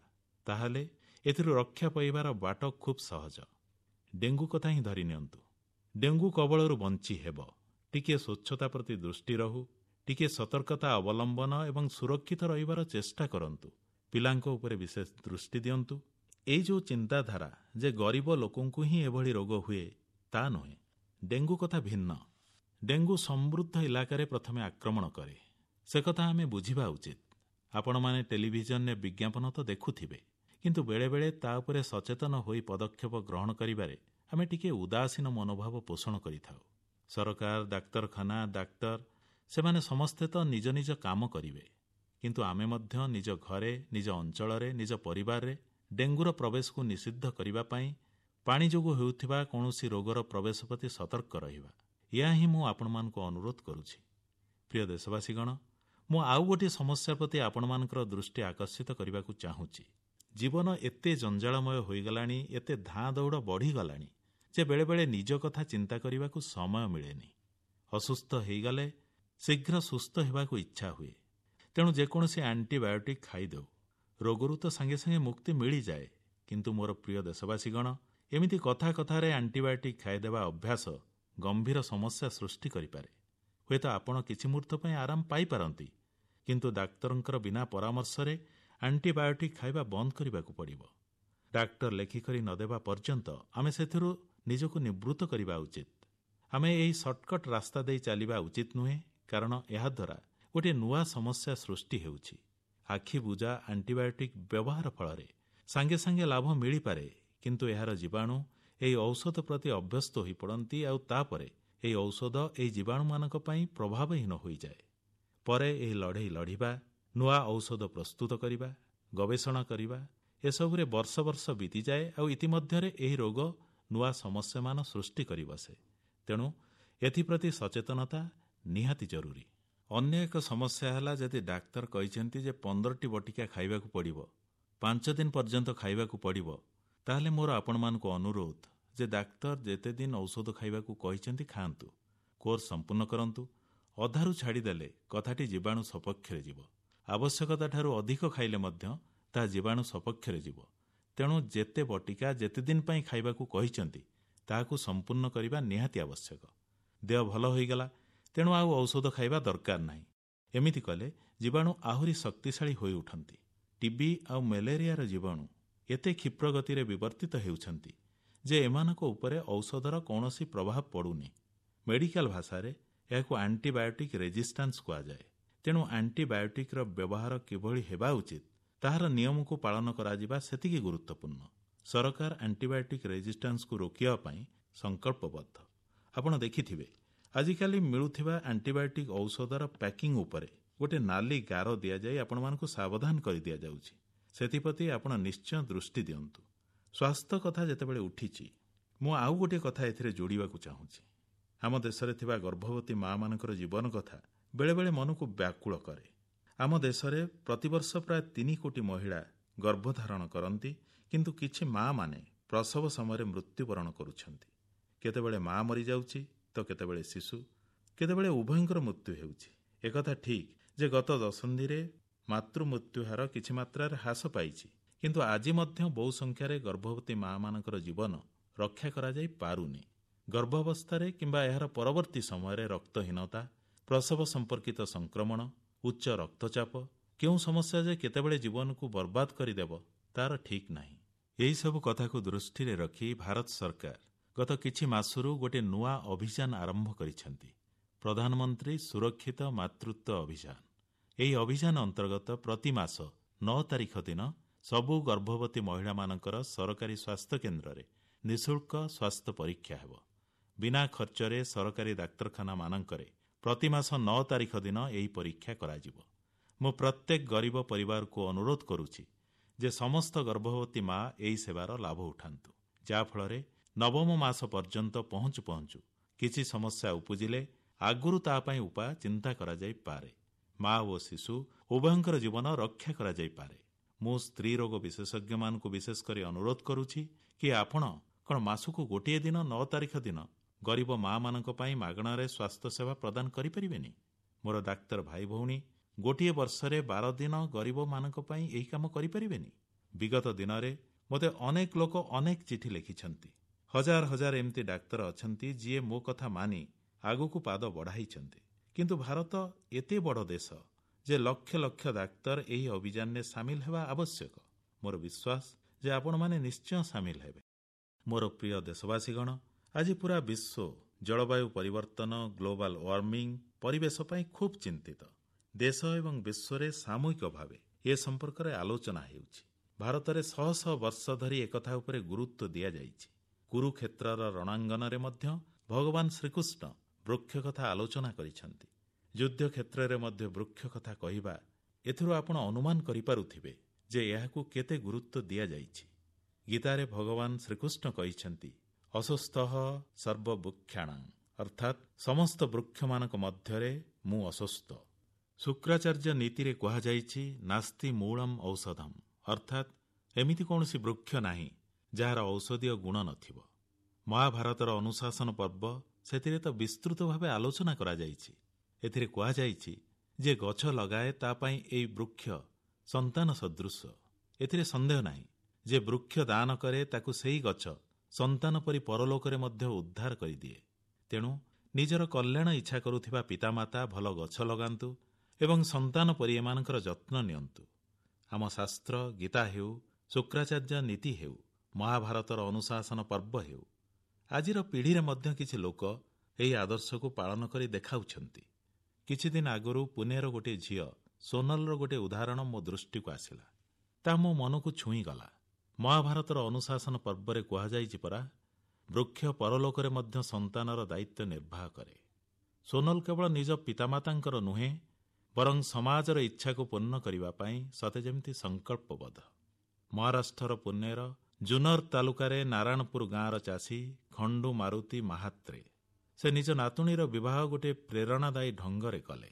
ତାହେଲେ ଏଥିରୁ ରକ୍ଷା ପାଇବାର ବାଟ ଖୁବ୍ ସହଜ। ଡେଙ୍ଗୁ କଥା ହିଁ ଧରି ନିଅନ୍ତୁ। ଡେଙ୍ଗୁ କବଳରୁ ବଞ୍ଚି ହେବ। ଟିକିଏ ସ୍ୱଚ୍ଛତା ପ୍ରତି ଦୃଷ୍ଟି ରହୁ, ଟିକିଏ ସତର୍କତା ଅବଲମ୍ବନ ଏବଂ ସୁରକ୍ଷିତ ରହିବାର ଚେଷ୍ଟା କରନ୍ତୁ। ପିଲାଙ୍କ ଉପରେ ବିଶେଷ ଦୃଷ୍ଟି ଦିଅନ୍ତୁ। ଏଇ ଯେଉଁ ଚିନ୍ତାଧାରା ଯେ ଗରିବ ଲୋକଙ୍କୁ ହିଁ ଏଭଳି ରୋଗ ହୁଏ, ତା ନୁହେଁ। ଡେଙ୍ଗୁ କଥା ଭିନ୍ନ। ଡେଙ୍ଗୁ ସମୃଦ୍ଧ ଇଲାକାରେ ପ୍ରଥମେ ଆକ୍ରମଣ କରେ, ସେକଥା ଆମେ ବୁଝିବା ଉଚିତ। ଆପଣମାନେ ଟେଲିଭିଜନରେ ବିଜ୍ଞାପନ ତ ଦେଖୁଥିବେ, କିନ୍ତୁ ବେଳେବେଳେ ତା ଉପରେ ସଚେତନ ହୋଇ ପଦକ୍ଷେପ ଗ୍ରହଣ କରିବାରେ ଆମେ ଟିକିଏ ଉଦାସୀନ ମନୋଭାବ ପୋଷଣ କରିଥାଉ। ସରକାର, ଡାକ୍ତରଖାନା, ଡାକ୍ତର, ସେମାନେ ସମସ୍ତେ ତ ନିଜ ନିଜ କାମ କରିବେ, କିନ୍ତୁ ଆମେ ମଧ୍ୟ ନିଜ ଘରେ, ନିଜ ଅଞ୍ଚଳରେ, ନିଜ ପରିବାରରେ ଡେଙ୍ଗୁର ପ୍ରବେଶକୁ ନିଷିଦ୍ଧ କରିବା ପାଇଁ ପାଣି ଯୋଗୁଁ ହେଉଥିବା କୌଣସି ରୋଗର ପ୍ରବେଶ ପ୍ରତି ସତର୍କ ରହିବା। ଏହା ହିଁ ମୁଁ ଆପଣମାନଙ୍କୁ ଅନୁରୋଧ କରୁଛି। ପ୍ରିୟ ଦେଶବାସୀଗଣ, ମୁଁ ଆଉ ଗୋଟିଏ ସମସ୍ୟା ପ୍ରତି ଆପଣମାନଙ୍କର ଦୃଷ୍ଟି ଆକର୍ଷିତ କରିବାକୁ ଚାହୁଁଛି। ଜୀବନ ଏତେ ଜଞ୍ଜାଳମୟ ହୋଇଗଲାଣି, ଏତେ ଧାଁ ଦୌଡ଼ ବଢ଼ିଗଲାଣି ଯେ ବେଳେବେଳେ ନିଜ କଥା ଚିନ୍ତା କରିବାକୁ ସମୟ ମିଳେନି। ଅସୁସ୍ଥ ହୋଇଗଲେ ଶୀଘ୍ର ସୁସ୍ଥ ହେବାକୁ ଇଚ୍ଛା ହୁଏ। ତେଣୁ ଯେକୌଣସି ଆଣ୍ଟିବାୟୋଟିକ୍ ଖାଇଦେଉ। ରୋଗରୁ ତ ସାଙ୍ଗେ ସାଙ୍ଗେ ମୁକ୍ତି ମିଳିଯାଏ, କିନ୍ତୁ ମୋର ପ୍ରିୟ ଦେଶବାସୀଗଣ, ଏମିତି କଥା କଥାରେ ଆଣ୍ଟିବାୟୋଟିକ୍ ଖାଇଦେବା ଅଭ୍ୟାସ ଗମ୍ଭୀର ସମସ୍ୟା ସୃଷ୍ଟି କରିପାରେ। ହୁଏତ ଆପଣ କିଛି ମୁହୂର୍ତ୍ତ ପାଇଁ ଆରାମ ପାଇପାରନ୍ତି, କିନ୍ତୁ ଡାକ୍ତରଙ୍କର ବିନା ପରାମର୍ଶରେ ଆଣ୍ଟିବାୟୋଟିକ୍ ଖାଇବା ବନ୍ଦ କରିବାକୁ ପଡ଼ିବ। ଡାକ୍ତର ଲେଖିକରି ନ ଦେବା ପର୍ଯ୍ୟନ୍ତ ଆମେ ସେଥିରୁ ନିଜକୁ ନିବୃତ୍ତ କରିବା ଉଚିତ। ଆମେ ଏହି ସର୍ଟକଟ୍ ରାସ୍ତା ଦେଇ ଚାଲିବା ଉଚିତ ନୁହେଁ, କାରଣ ଏହାଦ୍ୱାରା ଗୋଟିଏ ନୂଆ ସମସ୍ୟା ସୃଷ୍ଟି ହେଉଛି। ଆଖିବୁଜା ଆଣ୍ଟିବାୟୋଟିକ୍ ବ୍ୟବହାର ଫଳରେ ସାଙ୍ଗେ ସାଙ୍ଗେ ଲାଭ ମିଳିପାରେ, କିନ୍ତୁ ଏହାର ଜୀବାଣୁ ଏହି ଔଷଧ ପ୍ରତି ଅଭ୍ୟସ୍ତ ହୋଇପଡ଼ନ୍ତି ଆଉ ତାପରେ ଏହି ଔଷଧ ଏହି ଜୀବାଣୁମାନଙ୍କ ପାଇଁ ପ୍ରଭାବହୀନ ହୋଇଯାଏ। ପରେ ଏହି ଲଢ଼େଇ ଲଢ଼ିବା, ନୂଆ ଔଷଧ ପ୍ରସ୍ତୁତ କରିବା, ଗବେଷଣା କରିବା, ଏସବୁରେ ବର୍ଷ ବର୍ଷ ବିତିଯାଏ ଆଉ ଇତିମଧ୍ୟରେ ଏହି ରୋଗ ନୂଆ ସମସ୍ୟାମାନ ସୃଷ୍ଟି କରିବସେ। ତେଣୁ ଏଥିପ୍ରତି ସଚେତନତା ନିହାତି ଜରୁରୀ। ଅନ୍ୟ ଏକ ସମସ୍ୟା ହେଲା, ଯଦି ଡାକ୍ତର କହିଛନ୍ତି ଯେ 15ଟି ବଟିକା ଖାଇବାକୁ ପଡ଼ିବ, 5 ଦିନ ପର୍ଯ୍ୟନ୍ତ ଖାଇବାକୁ ପଡ଼ିବ, ତାହେଲେ ମୋର ଆପଣମାନଙ୍କୁ ଅନୁରୋଧ ଯେ ଡାକ୍ତର ଯେତେ ଦିନ ଔଷଧ ଖାଇବାକୁ କହିଛନ୍ତି ଖାଆନ୍ତୁ, କୋର୍ସ ସମ୍ପୂର୍ଣ୍ଣ କରନ୍ତୁ। ଅଧାରୁ ଛାଡ଼ିଦେଲେ କଥାଟି ଜୀବାଣୁ ସପକ୍ଷରେ ଯିବ। ଆବଶ୍ୟକତାଠାରୁ ଅଧିକ ଖାଇଲେ ମଧ୍ୟ ତାହା ଜୀବାଣୁ ସପକ୍ଷରେ ଯିବ। ତେଣୁ ଯେତେ ବଟିକା ଯେତେ ଦିନ ପାଇଁ ଖାଇବାକୁ କହିଛନ୍ତି ତାହାକୁ ସମ୍ପୂର୍ଣ୍ଣ କରିବା ନିହାତି ଆବଶ୍ୟକ। ଦେହ ଭଲ ହୋଇଗଲା, ତେଣୁ ଆଉ ଔଷଧ ଖାଇବା ଦରକାର ନାହିଁ, ଏମିତି କଲେ ଜୀବାଣୁ ଆହୁରି ଶକ୍ତିଶାଳୀ ହୋଇଉଠନ୍ତି। ଟିବି ଆଉ ମ୍ୟାଲେରିଆର ଜୀବାଣୁ ଏତେ କ୍ଷିପ୍ର ଗତିରେ ବିବର୍ତ୍ତିତ ହେଉଛନ୍ତି ଯେ ଏମାନଙ୍କ ଉପରେ ଔଷଧର କୌଣସି ପ୍ରଭାବ ପଡ଼ୁନି। ମେଡିକାଲ ଭାଷାରେ ଏହାକୁ ଆଣ୍ଟିବାୟୋଟିକ୍ ରେଜିଷ୍ଟାନ୍ସ କୁହାଯାଏ। ତେଣୁ ଆଣ୍ଟିବାୟୋଟିକ୍ର ବ୍ୟବହାର କିଭଳି ହେବା ଉଚିତ ତାହାର ନିୟମକୁ ପାଳନ କରାଯିବା ସେତିକି ଗୁରୁତ୍ୱପୂର୍ଣ୍ଣ। ସରକାର ଆଣ୍ଟିବାୟୋଟିକ୍ ରେଜିଷ୍ଟାନ୍ସକୁ ରୋକିବା ପାଇଁ ସଂକଳ୍ପବଦ୍ଧ। ଆପଣ ଦେଖିଥିବେ, ଆଜିକାଲି ମିଳୁଥିବା ଆଣ୍ଟିବାୟୋଟିକ୍ ଔଷଧର ପ୍ୟାକିଂ ଉପରେ ଗୋଟିଏ ନାଲି ଗାର ଦିଆଯାଇ ଆପଣମାନଙ୍କୁ ସାବଧାନ କରିଦିଆଯାଉଛି। ସେଥିପ୍ରତି ଆପଣ ନିଶ୍ଚୟ ଦୃଷ୍ଟି ଦିଅନ୍ତୁ। ସ୍ୱାସ୍ଥ୍ୟ କଥା ଯେତେବେଳେ ଉଠିଛି, ମୁଁ ଆଉ ଗୋଟିଏ କଥା ଏଥିରେ ଯୋଡ଼ିବାକୁ ଚାହୁଁଛି। ଆମ ଦେଶରେ ଥିବା ଗର୍ଭବତୀ ମାଆମାନଙ୍କର ଜୀବନ କଥା ବେଳେବେଳେ ମନକୁ ବ୍ୟାକୁଳ କରେ। ଆମ ଦେଶରେ ପ୍ରତିବର୍ଷ ପ୍ରାୟ 3 କୋଟି ମହିଳା ଗର୍ଭଧାରଣ କରନ୍ତି, କିନ୍ତୁ କିଛି ମାଆମାନେ ପ୍ରସବ ସମୟରେ ମୃତ୍ୟୁବରଣ କରୁଛନ୍ତି। କେତେବେଳେ ମା ମରିଯାଉଛି ତ କେତେବେଳେ ଶିଶୁ, କେତେବେଳେ ଉଭୟଙ୍କର ମୃତ୍ୟୁ ହେଉଛି। ଏକଥା ଠିକ୍ ଯେ ଗତ ଦଶନ୍ଧିରେ ମାତୃମୃତ୍ୟୁହାର କିଛି ମାତ୍ରାରେ ହ୍ରାସ ପାଇଛି, କିନ୍ତୁ ଆଜି ମଧ୍ୟ ବହୁ ସଂଖ୍ୟାରେ ଗର୍ଭବତୀ ମାଆମାନଙ୍କର ଜୀବନ ରକ୍ଷା କରାଯାଇ ପାରୁନି। ଗର୍ଭାବସ୍ଥାରେ କିମ୍ବା ଏହାର ପରବର୍ତ୍ତୀ ସମୟରେ ରକ୍ତହୀନତା, ପ୍ରସବ ସମ୍ପର୍କିତ ସଂକ୍ରମଣ, ଉଚ୍ଚ ରକ୍ତଚାପ, କେଉଁ ସମସ୍ୟା ଯେ କେତେବେଳେ ଜୀବନକୁ ବର୍ବାଦ କରିଦେବ ତାର ଠିକ୍ ନାହିଁ। ଏହିସବୁ କଥାକୁ ଦୃଷ୍ଟିରେ ରଖି ଭାରତ ସରକାର ଗତ କିଛି ମାସରୁ ଗୋଟିଏ ନୂଆ ଅଭିଯାନ ଆରମ୍ଭ କରିଛନ୍ତି, ପ୍ରଧାନମନ୍ତ୍ରୀ ସୁରକ୍ଷିତ ମାତୃତ୍ୱ ଅଭିଯାନ। ଏହି ଅଭିଯାନ ଅନ୍ତର୍ଗତ ପ୍ରତି ମାସ 9 ତାରିଖ ଦିନ ସବୁ ଗର୍ଭବତୀ ମହିଳାମାନଙ୍କର ସରକାରୀ ସ୍ୱାସ୍ଥ୍ୟକେନ୍ଦ୍ରରେ ନିଃଶୁଳ୍କ ସ୍ୱାସ୍ଥ୍ୟ ପରୀକ୍ଷା ହେବ। ବିନା ଖର୍ଚ୍ଚରେ ସରକାରୀ ଡାକ୍ତରଖାନାମାନଙ୍କରେ ପ୍ରତି ମାସ 9 ତାରିଖ ଦିନ ଏହି ପରୀକ୍ଷା କରାଯିବ। ମୁଁ ପ୍ରତ୍ୟେକ ଗରିବ ପରିବାରକୁ ଅନୁରୋଧ କରୁଛି ଯେ ସମସ୍ତ ଗର୍ଭବତୀ ମା ଏହି ସେବାର ଲାଭ ଉଠାନ୍ତୁ, ଯାହାଫଳରେ ନବମ ମାସ ପର୍ଯ୍ୟନ୍ତ ପହଞ୍ଚୁ ପହଞ୍ଚୁ କିଛି ସମସ୍ୟା ଉପୁଜିଲେ ଆଗରୁ ତା ପାଇଁ ଉପାୟ ଚିନ୍ତା କରାଯାଇପାରେ। ମା ଓ ଶିଶୁ ଉଭୟଙ୍କର ଜୀବନ ରକ୍ଷା କରାଯାଇପାରେ। ମୁଁ ସ୍ତ୍ରୀ ରୋଗ ବିଶେଷଜ୍ଞମାନଙ୍କୁ ବିଶେଷ କରି ଅନୁରୋଧ କରୁଛି କି ଆପଣ କଣ ମାସକୁ ଗୋଟିଏ ଦିନ 9 ତାରିଖ ଦିନ ଗରିବ ମାଆମାନଙ୍କ ପାଇଁ ମାଗଣାରେ ସ୍ୱାସ୍ଥ୍ୟସେବା ପ୍ରଦାନ କରିପାରିବେନି? ମୋର ଡାକ୍ତର ଭାଇ ଭଉଣୀ ଗୋଟିଏ ବର୍ଷରେ 12 ଦିନ ଗରିବମାନଙ୍କ ପାଇଁ ଏହି କାମ କରିପାରିବେନି? ବିଗତ ଦିନରେ ମୋତେ ଅନେକ ଲୋକ ଅନେକ ଚିଠି ଲେଖିଛନ୍ତି। ହଜାର ହଜାର ଏମିତି ଡାକ୍ତର ଅଛନ୍ତି ଯିଏ ମୋ କଥା ମାନି ଆଗକୁ ପାଦ ବଢ଼ାଇଛନ୍ତି। କିନ୍ତୁ ଭାରତ ଏତେ ବଡ଼ ଦେଶ ଯେ ଲକ୍ଷ ଲକ୍ଷ ଡାକ୍ତର ଏହି ଅଭିଯାନରେ ସାମିଲ ହେବା ଆବଶ୍ୟକ। ମୋର ବିଶ୍ୱାସ ଯେ ଆପଣମାନେ ନିଶ୍ଚୟ ସାମିଲ ହେବେ। ମୋର ପ୍ରିୟ ଦେଶବାସୀଗଣ, ଆଜି ପୁରା ବିଶ୍ୱ ଜଳବାୟୁ ପରିବର୍ତ୍ତନ, ଗ୍ଲୋବାଲ ୱାର୍ମିଂ, ପରିବେଶ ପାଇଁ ଖୁବ୍ ଚିନ୍ତିତ। ଦେଶ ଏବଂ ବିଶ୍ୱରେ ସାମୂହିକ ଭାବେ ଏ ସମ୍ପର୍କରେ ଆଲୋଚନା ହେଉଛି। ଭାରତରେ ଶହ ଶହ ବର୍ଷ ଧରି ଏକଥା ଉପରେ ଗୁରୁତ୍ୱ ଦିଆଯାଇଛି। କୁରୁକ୍ଷେତ୍ରର ରଣାଙ୍ଗନରେ ମଧ୍ୟ ଭଗବାନ ଶ୍ରୀକୃଷ୍ଣ ବୃକ୍ଷ କଥା ଆଲୋଚନା କରିଛନ୍ତି। ଯୁଦ୍ଧ କ୍ଷେତ୍ରରେ ମଧ୍ୟ ବୃକ୍ଷ କଥା କହିବା, ଏଥିରୁ ଆପଣ ଅନୁମାନ କରିପାରୁଥିବେ ଯେ ଏହାକୁ କେତେ ଗୁରୁତ୍ୱ ଦିଆଯାଇଛି। ଗୀତାରେ ଭଗବାନ ଶ୍ରୀକୃଷ୍ଣ କହିଛନ୍ତି, ଅଶ୍ୱତ୍ଥଃ ସର୍ବବୃକ୍ଷାଣାଂ, ଅର୍ଥାତ୍ ସମସ୍ତ ବୃକ୍ଷମାନଙ୍କ ମଧ୍ୟରେ ମୁଁ ଅଶ୍ୱତ୍ଥ। ଶୁକ୍ରାଚାର୍ଯ୍ୟ ନୀତିରେ କୁହାଯାଇଛି, ନାସ୍ତି ମୂଳମ୍ ଔଷଧମ୍, ଅର୍ଥାତ୍ ଏମିତି କୌଣସି ବୃକ୍ଷ ନାହିଁ ଯାହାର ଔଷଧୀୟ ଗୁଣ ନଥିବ। ମହାଭାରତର ଅନୁଶାସନ ପର୍ବ, ସେଥିରେ ତ ବିସ୍ତୃତ ଭାବେ ଆଲୋଚନା କରାଯାଇଛି। ଏଥିରେ କୁହାଯାଇଛି ଯେ ଗଛ ଲଗାଏ ତା ପାଇଁ ଏହି ବୃକ୍ଷ ସନ୍ତାନ ସଦୃଶ। ଏଥିରେ ସନ୍ଦେହ ନାହିଁ ଯେ ବୃକ୍ଷ ଦାନ କରେ ତାକୁ ସେହି ଗଛ ସନ୍ତାନ ପରି ପରଲୋକରେ ମଧ୍ୟ ଉଦ୍ଧାର କରିଦିଏ। ତେଣୁ ନିଜର କଲ୍ୟାଣ ଇଚ୍ଛା କରୁଥିବା ପିତାମାତା ଭଲ ଗଛ ଲଗାନ୍ତୁ ଏବଂ ସନ୍ତାନ ପରି ଏମାନଙ୍କର ଯତ୍ନ ନିଅନ୍ତୁ। ଆମ ଶାସ୍ତ୍ର ଗୀତା ହେଉ, ଶୁକ୍ରାଚାର୍ଯ୍ୟ ନୀତି ହେଉ, ମହାଭାରତର ଅନୁଶାସନ ପର୍ବ ହେଉ, ଆଜିର ପିଢ଼ିରେ ମଧ୍ୟ କିଛି ଲୋକ ଏହି ଆଦର୍ଶକୁ ପାଳନ କରି ଦେଖାଉଛନ୍ତି। କିଛି ଦିନ ଆଗରୁ ପୁନେର ଗୋଟିଏ ଝିଅ ସୋନଲର ଗୋଟିଏ ଉଦାହରଣ ମୋ ଦୃଷ୍ଟିକୁ ଆସିଲା। ତାହା ମୋ ମନକୁ ଛୁଇଁଗଲା। ମହାଭାରତର ଅନୁଶାସନ ପର୍ବରେ କୁହାଯାଇଛି ପରା, ବୃକ୍ଷ ପରଲୋକରେ ମଧ୍ୟ ସନ୍ତାନର ଦାୟିତ୍ୱ ନିର୍ବାହ କରେ। ସୋନଲ କେବଳ ନିଜ ପିତାମାତାଙ୍କର ନୁହେଁ, ବରଂ ସମାଜର ଇଚ୍ଛାକୁ ପୂର୍ଣ୍ଣ କରିବା ପାଇଁ ସତେ ଯେମିତି ସଂକଳ୍ପବଦ୍ଧ। ମହାରାଷ୍ଟ୍ରର ପୁନେର ଜୁନର ତାଲୁକାରେ ନାରାୟଣପୁର ଗାଁର ଚାଷୀ ଖଣ୍ଡୁ ମାରୁତି ମାହାତ୍ରେ, ସେ ନିଜ ନାତୁଣୀର ବିବାହ ଗୋଟିଏ ପ୍ରେରଣାଦାୟୀ ଢଙ୍ଗରେ କଲେ।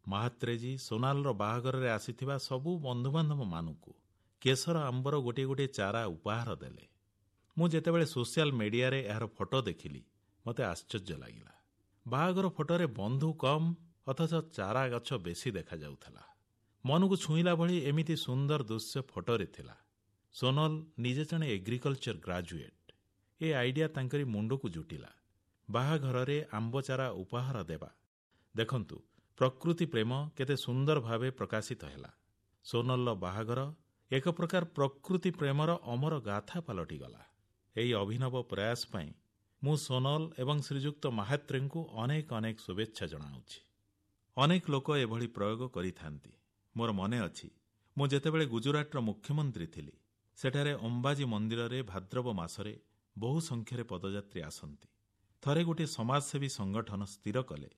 ମାହାତ୍ରେଜୀ ସୋନାଲର ବାହାଘରରେ ଆସିଥିବା ସବୁ ବନ୍ଧୁବାନ୍ଧବମାନଙ୍କୁ କେଶର ଆମ୍ବର ଗୋଟିଏ ଗୋଟିଏ ଚାରା ଉପହାର ଦେଲେ। ମୁଁ ଯେତେବେଳେ ସୋସିଆଲ ମିଡିଆରେ ଏହାର ଫଟୋ ଦେଖିଲି, ମୋତେ ଆଶ୍ଚର୍ଯ୍ୟ ଲାଗିଲା। ବାହାଘର ଫଟୋରେ ବନ୍ଧୁ କମ୍, ଅଥଚ ଚାରା ଗଛ ବେଶୀ ଦେଖାଯାଉଥିଲା। ମନକୁ ଛୁଇଁଲା ଭଳି ଏମିତି ସୁନ୍ଦର ଦୃଶ୍ୟ ଫଟୋରେ ଥିଲା। ସୋନଲ ନିଜେ ଜଣେ ଏଗ୍ରିକଲଚର ଗ୍ରାଜୁଏଟ୍। ଏ ଆଇଡିଆ ତାଙ୍କରି ମୁଣ୍ଡକୁ ଜୁଟିଲା, ବାହାଘରରେ ଆମ୍ବ ଚାରା ଉପହାର ଦେବା। ଦେଖନ୍ତୁ, ପ୍ରକୃତି ପ୍ରେମ କେତେ ସୁନ୍ଦର ଭାବେ ପ୍ରକାଶିତ ହେଲା। ସୋନଲର ବାହାଘର ଏକ ପ୍ରକାର ପ୍ରକୃତି ପ୍ରେମର ଅମର ଗାଥା ପାଲଟିଗଲା। ଏହି ଅଭିନବ ପ୍ରୟାସ ପାଇଁ ମୁଁ ସୋନଲ ଏବଂ ଶ୍ରୀଯୁକ୍ତ ମାହାତ୍ରେଙ୍କୁ ଅନେକ ଅନେକ ଶୁଭେଚ୍ଛା ଜଣାଉଛି। ଅନେକ ଲୋକ ଏଭଳି ପ୍ରୟୋଗ କରିଥାନ୍ତି। ମୋର ମନେ ଅଛି, ମୁଁ ଯେତେବେଳେ ଗୁଜୁରାଟର ମୁଖ୍ୟମନ୍ତ୍ରୀ ଥିଲି, ସେଠାରେ ଅମ୍ବାଜୀ ମନ୍ଦିରରେ ଭାଦ୍ରବ ମାସରେ ବହୁ ସଂଖ୍ୟାରେ ପଦଯାତ୍ରୀ ଆସନ୍ତି। ଥରେ ଗୋଟିଏ ସମାଜସେବୀ ସଂଗଠନ ସ୍ଥିର କଲେ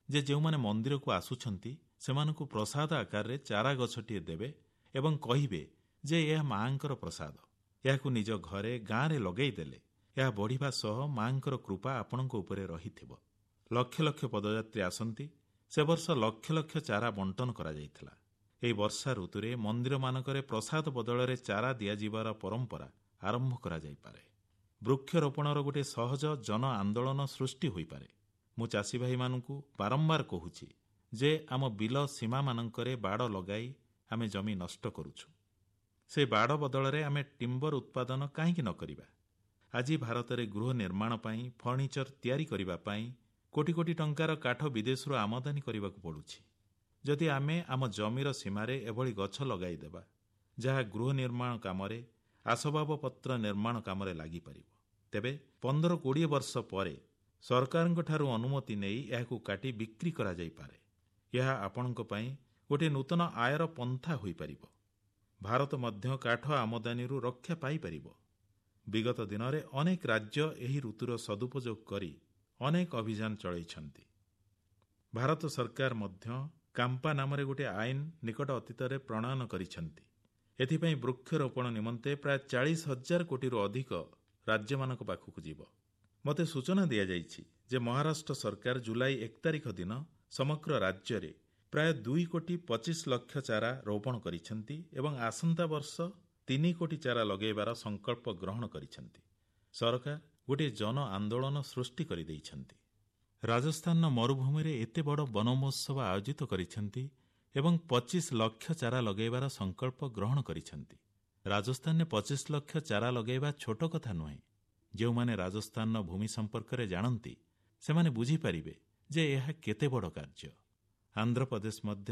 ଯେ ଯେଉଁମାନେ ମନ୍ଦିରକୁ ଆସୁଛନ୍ତି ସେମାନଙ୍କୁ ପ୍ରସାଦ ଆକାରରେ ଚାରା ଗଛଟିଏ ଦେବେ ଏବଂ କହିବେ ଯେ ଏହା ମାଆଙ୍କର ପ୍ରସାଦ। ଏହାକୁ ନିଜ ଘରେ, ଗାଁରେ ଲଗାଇଦେଲେ ଏହା ବଢ଼ିବା ସହ ମାଆଙ୍କର କୃପା ଆପଣଙ୍କ ଉପରେ ରହିଥିବ। ଲକ୍ଷ ଲକ୍ଷ ପଦଯାତ୍ରୀ ଆସନ୍ତି। ସେ ବର୍ଷ ଲକ୍ଷ ଲକ୍ଷ ଚାରା ବଣ୍ଟନ କରାଯାଇଥିଲା। ଏହି ବର୍ଷା ଋତୁରେ ମନ୍ଦିରମାନଙ୍କରେ ପ୍ରସାଦ ବଦଳରେ ଚାରା ଦିଆଯିବାର ପରମ୍ପରା ଆରମ୍ଭ କରାଯାଇପାରେ। ବୃକ୍ଷରୋପଣର ଗୋଟିଏ ସହଜ ଜନ ଆନ୍ଦୋଳନ ସୃଷ୍ଟି ହୋଇପାରେ। ମୁଁ ଚାଷୀ ଭାଇମାନଙ୍କୁ ବାରମ୍ବାର କହୁଛି ଯେ ଆମ ବିଲ ସୀମାମାନଙ୍କରେ ବାଡ଼ ଲଗାଇ ଆମେ ଜମି ନଷ୍ଟ କରୁଛୁ। ସେ ବାଡ଼ ବଦଳରେ ଆମେ ଟିମ୍ବର ଉତ୍ପାଦନ କାହିଁକି ନ କରିବା? ଆଜି ଭାରତରେ ଗୃହ ନିର୍ମାଣ ପାଇଁ, ଫର୍ଣ୍ଣିଚର ତିଆରି କରିବା ପାଇଁ କୋଟି କୋଟି ଟଙ୍କାର କାଠ ବିଦେଶରୁ ଆମଦାନୀ କରିବାକୁ ପଡୁଛି। ଯଦି ଆମେ ଆମ ଜମିର ସୀମାରେ ଏଭଳି ଗଛ ଲଗାଇଦେବା ଯାହା ଗୃହ ନିର୍ମାଣ କାମରେ, ଆସବାବପତ୍ର ନିର୍ମାଣ କାମରେ ଲାଗିପାରିବ, ତେବେ 15-20 ବର୍ଷ ପରେ ସରକାରଙ୍କ ଠାରୁ ଅନୁମତି ନେଇ ଏହାକୁ କାଟି ବିକ୍ରି କରାଯାଇପାରେ। ଏହା ଆପଣଙ୍କ ପାଇଁ ଗୋଟିଏ ନୂତନ ଆୟର ପନ୍ଥା ହୋଇପାରିବ। ଭାରତ ମଧ୍ୟ କାଠ ଆମଦାନୀରୁ ରକ୍ଷା ପାଇପାରିବ। ବିଗତ ଦିନରେ ଅନେକ ରାଜ୍ୟ ଏହି ଋତୁର ସଦୁପଯୋଗ କରି ଅନେକ ଅଭିଯାନ ଚଳାଇଛନ୍ତି। ଭାରତ ସରକାର ମଧ୍ୟ କାମ୍ପା ନାମରେ ଗୋଟିଏ ଆଇନ ନିକଟ ଅତୀତରେ ପ୍ରଣୟନ କରିଛନ୍ତି। ଏଥିପାଇଁ ବୃକ୍ଷରୋପଣ ନିମନ୍ତେ ପ୍ରାୟ 40,000 କୋଟିରୁ ଅଧିକ ରାଜ୍ୟମାନଙ୍କ ପାଖକୁ ଯିବ। ମୋତେ ସୂଚନା ଦିଆଯାଇଛି ଯେ ମହାରାଷ୍ଟ୍ର ସରକାର ଜୁଲାଇ 1 ତାରିଖ ଦିନ ସମଗ୍ର ରାଜ୍ୟରେ ପ୍ରାୟ 2,25,00,000 ଚାରା ରୋପଣ କରିଛନ୍ତି ଏବଂ ଆସନ୍ତା ବର୍ଷ 3 କୋଟି ଚାରା ଲଗାଇବାର ସଂକଳ୍ପ ଗ୍ରହଣ କରିଛନ୍ତି। ସରକାର ଗୋଟିଏ ଜନ ଆନ୍ଦୋଳନ ସୃଷ୍ଟି କରିଦେଇଛନ୍ତି। ରାଜସ୍ଥାନର ମରୁଭୂମିରେ ଏତେ ବଡ଼ ବନ ମହୋତ୍ସବ ଆୟୋଜିତ କରିଛନ୍ତି ଏବଂ 25 ଲକ୍ଷ ଚାରା ଲଗାଇବାର ସଂକଳ୍ପ ଗ୍ରହଣ କରିଛନ୍ତି। ରାଜସ୍ଥାନରେ 25 ଲକ୍ଷ ଚାରା ଲଗାଇବା ଛୋଟ କଥା ନୁହେଁ। ଯେଉଁମାନେ ରାଜସ୍ଥାନର ଭୂମି ସମ୍ପର୍କରେ ଜାଣନ୍ତି ସେମାନେ ବୁଝିପାରିବେ ଯେ ଏହା କେତେ ବଡ଼ କାର୍ଯ୍ୟ। ଆନ୍ଧ୍ରପ୍ରଦେଶ ମଧ୍ୟ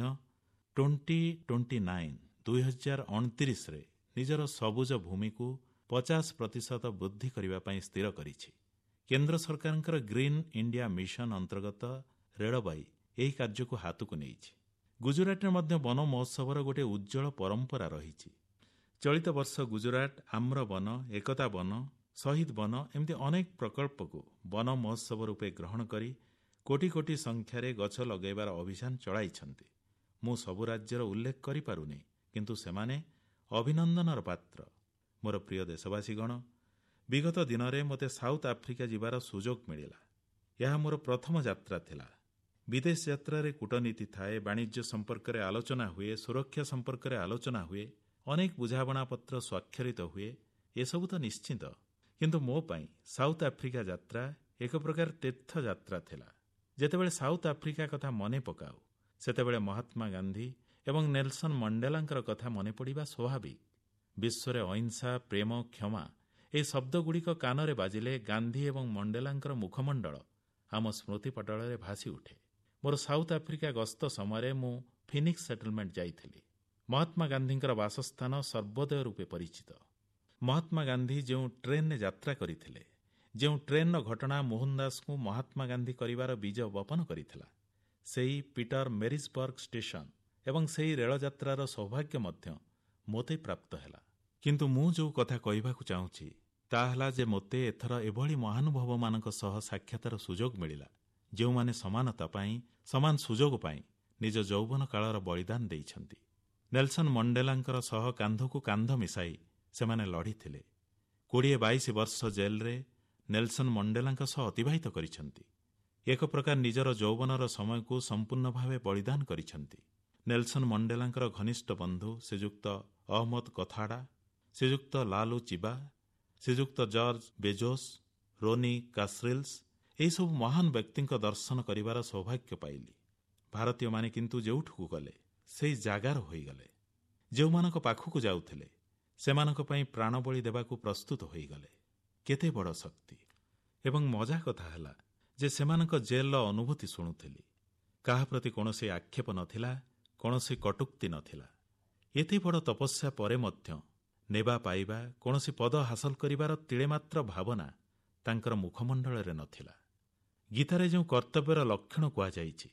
2029 2029ରେ ନିଜର ସବୁଜ ଭୂମିକୁ 50% ବୃଦ୍ଧି କରିବା ପାଇଁ ସ୍ଥିର କରିଛି। କେନ୍ଦ୍ର ସରକାରଙ୍କର ଗ୍ରୀନ୍ ଇଣ୍ଡିଆ ମିଶନ ଅନ୍ତର୍ଗତ ରେଳବାଇ ଏହି କାର୍ଯ୍ୟକୁ ହାତକୁ ନେଇଛି। ଗୁଜୁରାଟରେ ମଧ୍ୟ ବନ ମହୋତ୍ସବର ଗୋଟିଏ ଉଜ୍ଜ୍ୱଳ ପରମ୍ପରା ରହିଛି। ଚଳିତ ବର୍ଷ ଗୁଜୁରାଟ ଆମ୍ର ବନ, ଏକତା ବନ, ଶହୀଦ ବନ ଏମିତି ଅନେକ ପ୍ରକଳ୍ପକୁ ବନ ମହୋତ୍ସବ ରୂପେ ଗ୍ରହଣ କରି କୋଟି କୋଟି ସଂଖ୍ୟାରେ ଗଛ ଲଗାଇବାର ଅଭିଯାନ ଚଳାଇଛନ୍ତି। ମୁଁ ସବୁ ରାଜ୍ୟର ଉଲ୍ଲେଖ କରିପାରୁନି, କିନ୍ତୁ ସେମାନେ ଅଭିନନ୍ଦନର ପାତ୍ର। ମୋର ପ୍ରିୟ ଦେଶବାସୀଗଣ, ବିଗତ ଦିନରେ ମୋତେ ସାଉଥ ଆଫ୍ରିକା ଯିବାର ସୁଯୋଗ ମିଳିଲା। ଏହା ମୋର ପ୍ରଥମ ଯାତ୍ରା ଥିଲା। ବିଦେଶ ଯାତ୍ରାରେ କୂଟନୀତି ଥାଏ, ବାଣିଜ୍ୟ ସମ୍ପର୍କରେ ଆଲୋଚନା ହୁଏ, ସୁରକ୍ଷା ସମ୍ପର୍କରେ ଆଲୋଚନା ହୁଏ, ଅନେକ ବୁଝାମଣାପତ୍ର ସ୍ୱାକ୍ଷରିତ ହୁଏ, ଏସବୁ ତ ନିଶ୍ଚିତ। କିନ୍ତୁ ମୋ ପାଇଁ ସାଉଥ ଆଫ୍ରିକା ଯାତ୍ରା ଏକ ପ୍ରକାର ତୀର୍ଥଯାତ୍ରା ଥିଲା। ଯେତେବେଳେ ସାଉଥ ଆଫ୍ରିକା କଥା ମନେ ପକାଉ, ସେତେବେଳେ ମହାତ୍ମା ଗାନ୍ଧୀ ଏବଂ ନେଲସନ ମଣ୍ଡେଲାଙ୍କର କଥା ମନେ ପଡ଼ିବା ସ୍ୱାଭାବିକ। ବିଶ୍ୱରେ ଅହିଂସା, ପ୍ରେମ, କ୍ଷମା ଏହି ଶବ୍ଦଗୁଡ଼ିକ କାନରେ ବାଜିଲେ ଗାନ୍ଧୀ ଏବଂ ମଣ୍ଡେଲାଙ୍କର ମୁଖମଣ୍ଡଳ ଆମ ସ୍ମୃତିପଟଳରେ ଭାସିଉଠେ। ମୋର ସାଉଥ ଆଫ୍ରିକା ଗସ୍ତ ସମୟରେ ମୁଁ ଫିନିକ୍ସ ସେଟଲମେଣ୍ଟ ଯାଇଥିଲି। ମହାତ୍ମା ଗାନ୍ଧୀଙ୍କର ବାସସ୍ଥାନ ସର୍ବୋଦୟ ରୂପେ ପରିଚିତ। ମହାତ୍ମା ଗାନ୍ଧୀ ଯେଉଁ ଟ୍ରେନରେ ଯାତ୍ରା କରିଥିଲେ, ଯେଉଁ ଟ୍ରେନର ଘଟଣା ମୋହନଦାସଙ୍କୁ ମହାତ୍ମା ଗାନ୍ଧୀ କରିବାର ବୀଜ ବପନ କରିଥିଲା, ସେହି ପିଟର ମେରିଜବର୍ଗ ଷ୍ଟେସନ ଏବଂ ସେହି ରେଳଯାତ୍ରାର ସୌଭାଗ୍ୟ ମଧ୍ୟ ମୋତେ ପ୍ରାପ୍ତ ହେଲା। କିନ୍ତୁ ମୁଁ ଯେଉଁ କଥା କହିବାକୁ ଚାହୁଁଛି ତାହା ହେଲା ଯେ ମୋତେ ଏଥର ଏଭଳି ମହାନୁଭବମାନଙ୍କ ସହ ସାକ୍ଷାତର ସୁଯୋଗ ମିଳିଲା, ଯେଉଁମାନେ ସମାନତା ପାଇଁ, ସମାନ ସୁଯୋଗ ପାଇଁ ନିଜ ଯୌବନ କାଳର ବଳିଦାନ ଦେଇଛନ୍ତି। ନେଲସନ ମଣ୍ଡେଲାଙ୍କର ସହ କାନ୍ଧକୁ କାନ୍ଧ ମିଶାଇ ସେମାନେ ଲଢ଼ିଥିଲେ। 20-22 ବର୍ଷ ଜେଲରେ ନେଲସନ ମଣ୍ଡେଲାଙ୍କ ସହ ଅତିବାହିତ କରିଛନ୍ତି। ଏକ ପ୍ରକାର ନିଜର ଯୌବନର ସମୟକୁ ସମ୍ପୂର୍ଣ୍ଣ ଭାବେ ବଳିଦାନ କରିଛନ୍ତି। ନେଲସନ ମଣ୍ଡେଲାଙ୍କର ଘନିଷ୍ଠ ବନ୍ଧୁ ଶ୍ରୀଯୁକ୍ତ ଅହମ୍ମଦ କଥାଡା, ଶ୍ରୀଯୁକ୍ତ ଲାଲୁ ଚିବା, ଶ୍ରୀଯୁକ୍ତ ଜର୍ଜ ବେଜୋସ୍, ରୋନି କାସ୍ରିଲ୍ସ, ଏହିସବୁ ମହାନ ବ୍ୟକ୍ତିଙ୍କ ଦର୍ଶନ କରିବାର ସୌଭାଗ୍ୟ ପାଇଲି। ଭାରତୀୟମାନେ କିନ୍ତୁ ଯେଉଁଠିକୁ ଗଲେ ସେହି ଜାଗାର ହୋଇଗଲେ। ଯେଉଁମାନଙ୍କ ପାଖକୁ ଯାଉଥିଲେ ସେମାନଙ୍କ ପାଇଁ ପ୍ରାଣବଳି ଦେବାକୁ ପ୍ରସ୍ତୁତ ହୋଇଗଲେ। କେତେ ବଡ଼ ଶକ୍ତି! ଏବଂ ମଜା କଥା ହେଲା ଯେ ସେମାନଙ୍କ ଜେଲର ଅନୁଭୂତି ଶୁଣୁଥିଲି। କାହା ପ୍ରତି କୌଣସି ଆକ୍ଷେପ ନଥିଲା, କୌଣସି କଟୁକ୍ତି ନଥିଲା। ଏତେ ବଡ଼ ତପସ୍ୟା ପରେ ମଧ୍ୟ ନେବା ପାଇବା, କୌଣସି ପଦ ହାସଲ କରିବାର ତିଳେମାତ୍ର ଭାବନା ତାଙ୍କର ମୁଖମଣ୍ଡଳରେ ନଥିଲା। ଗୀତାରେ ଯେଉଁ କର୍ତ୍ତବ୍ୟର ଲକ୍ଷଣ କୁହାଯାଇଛି,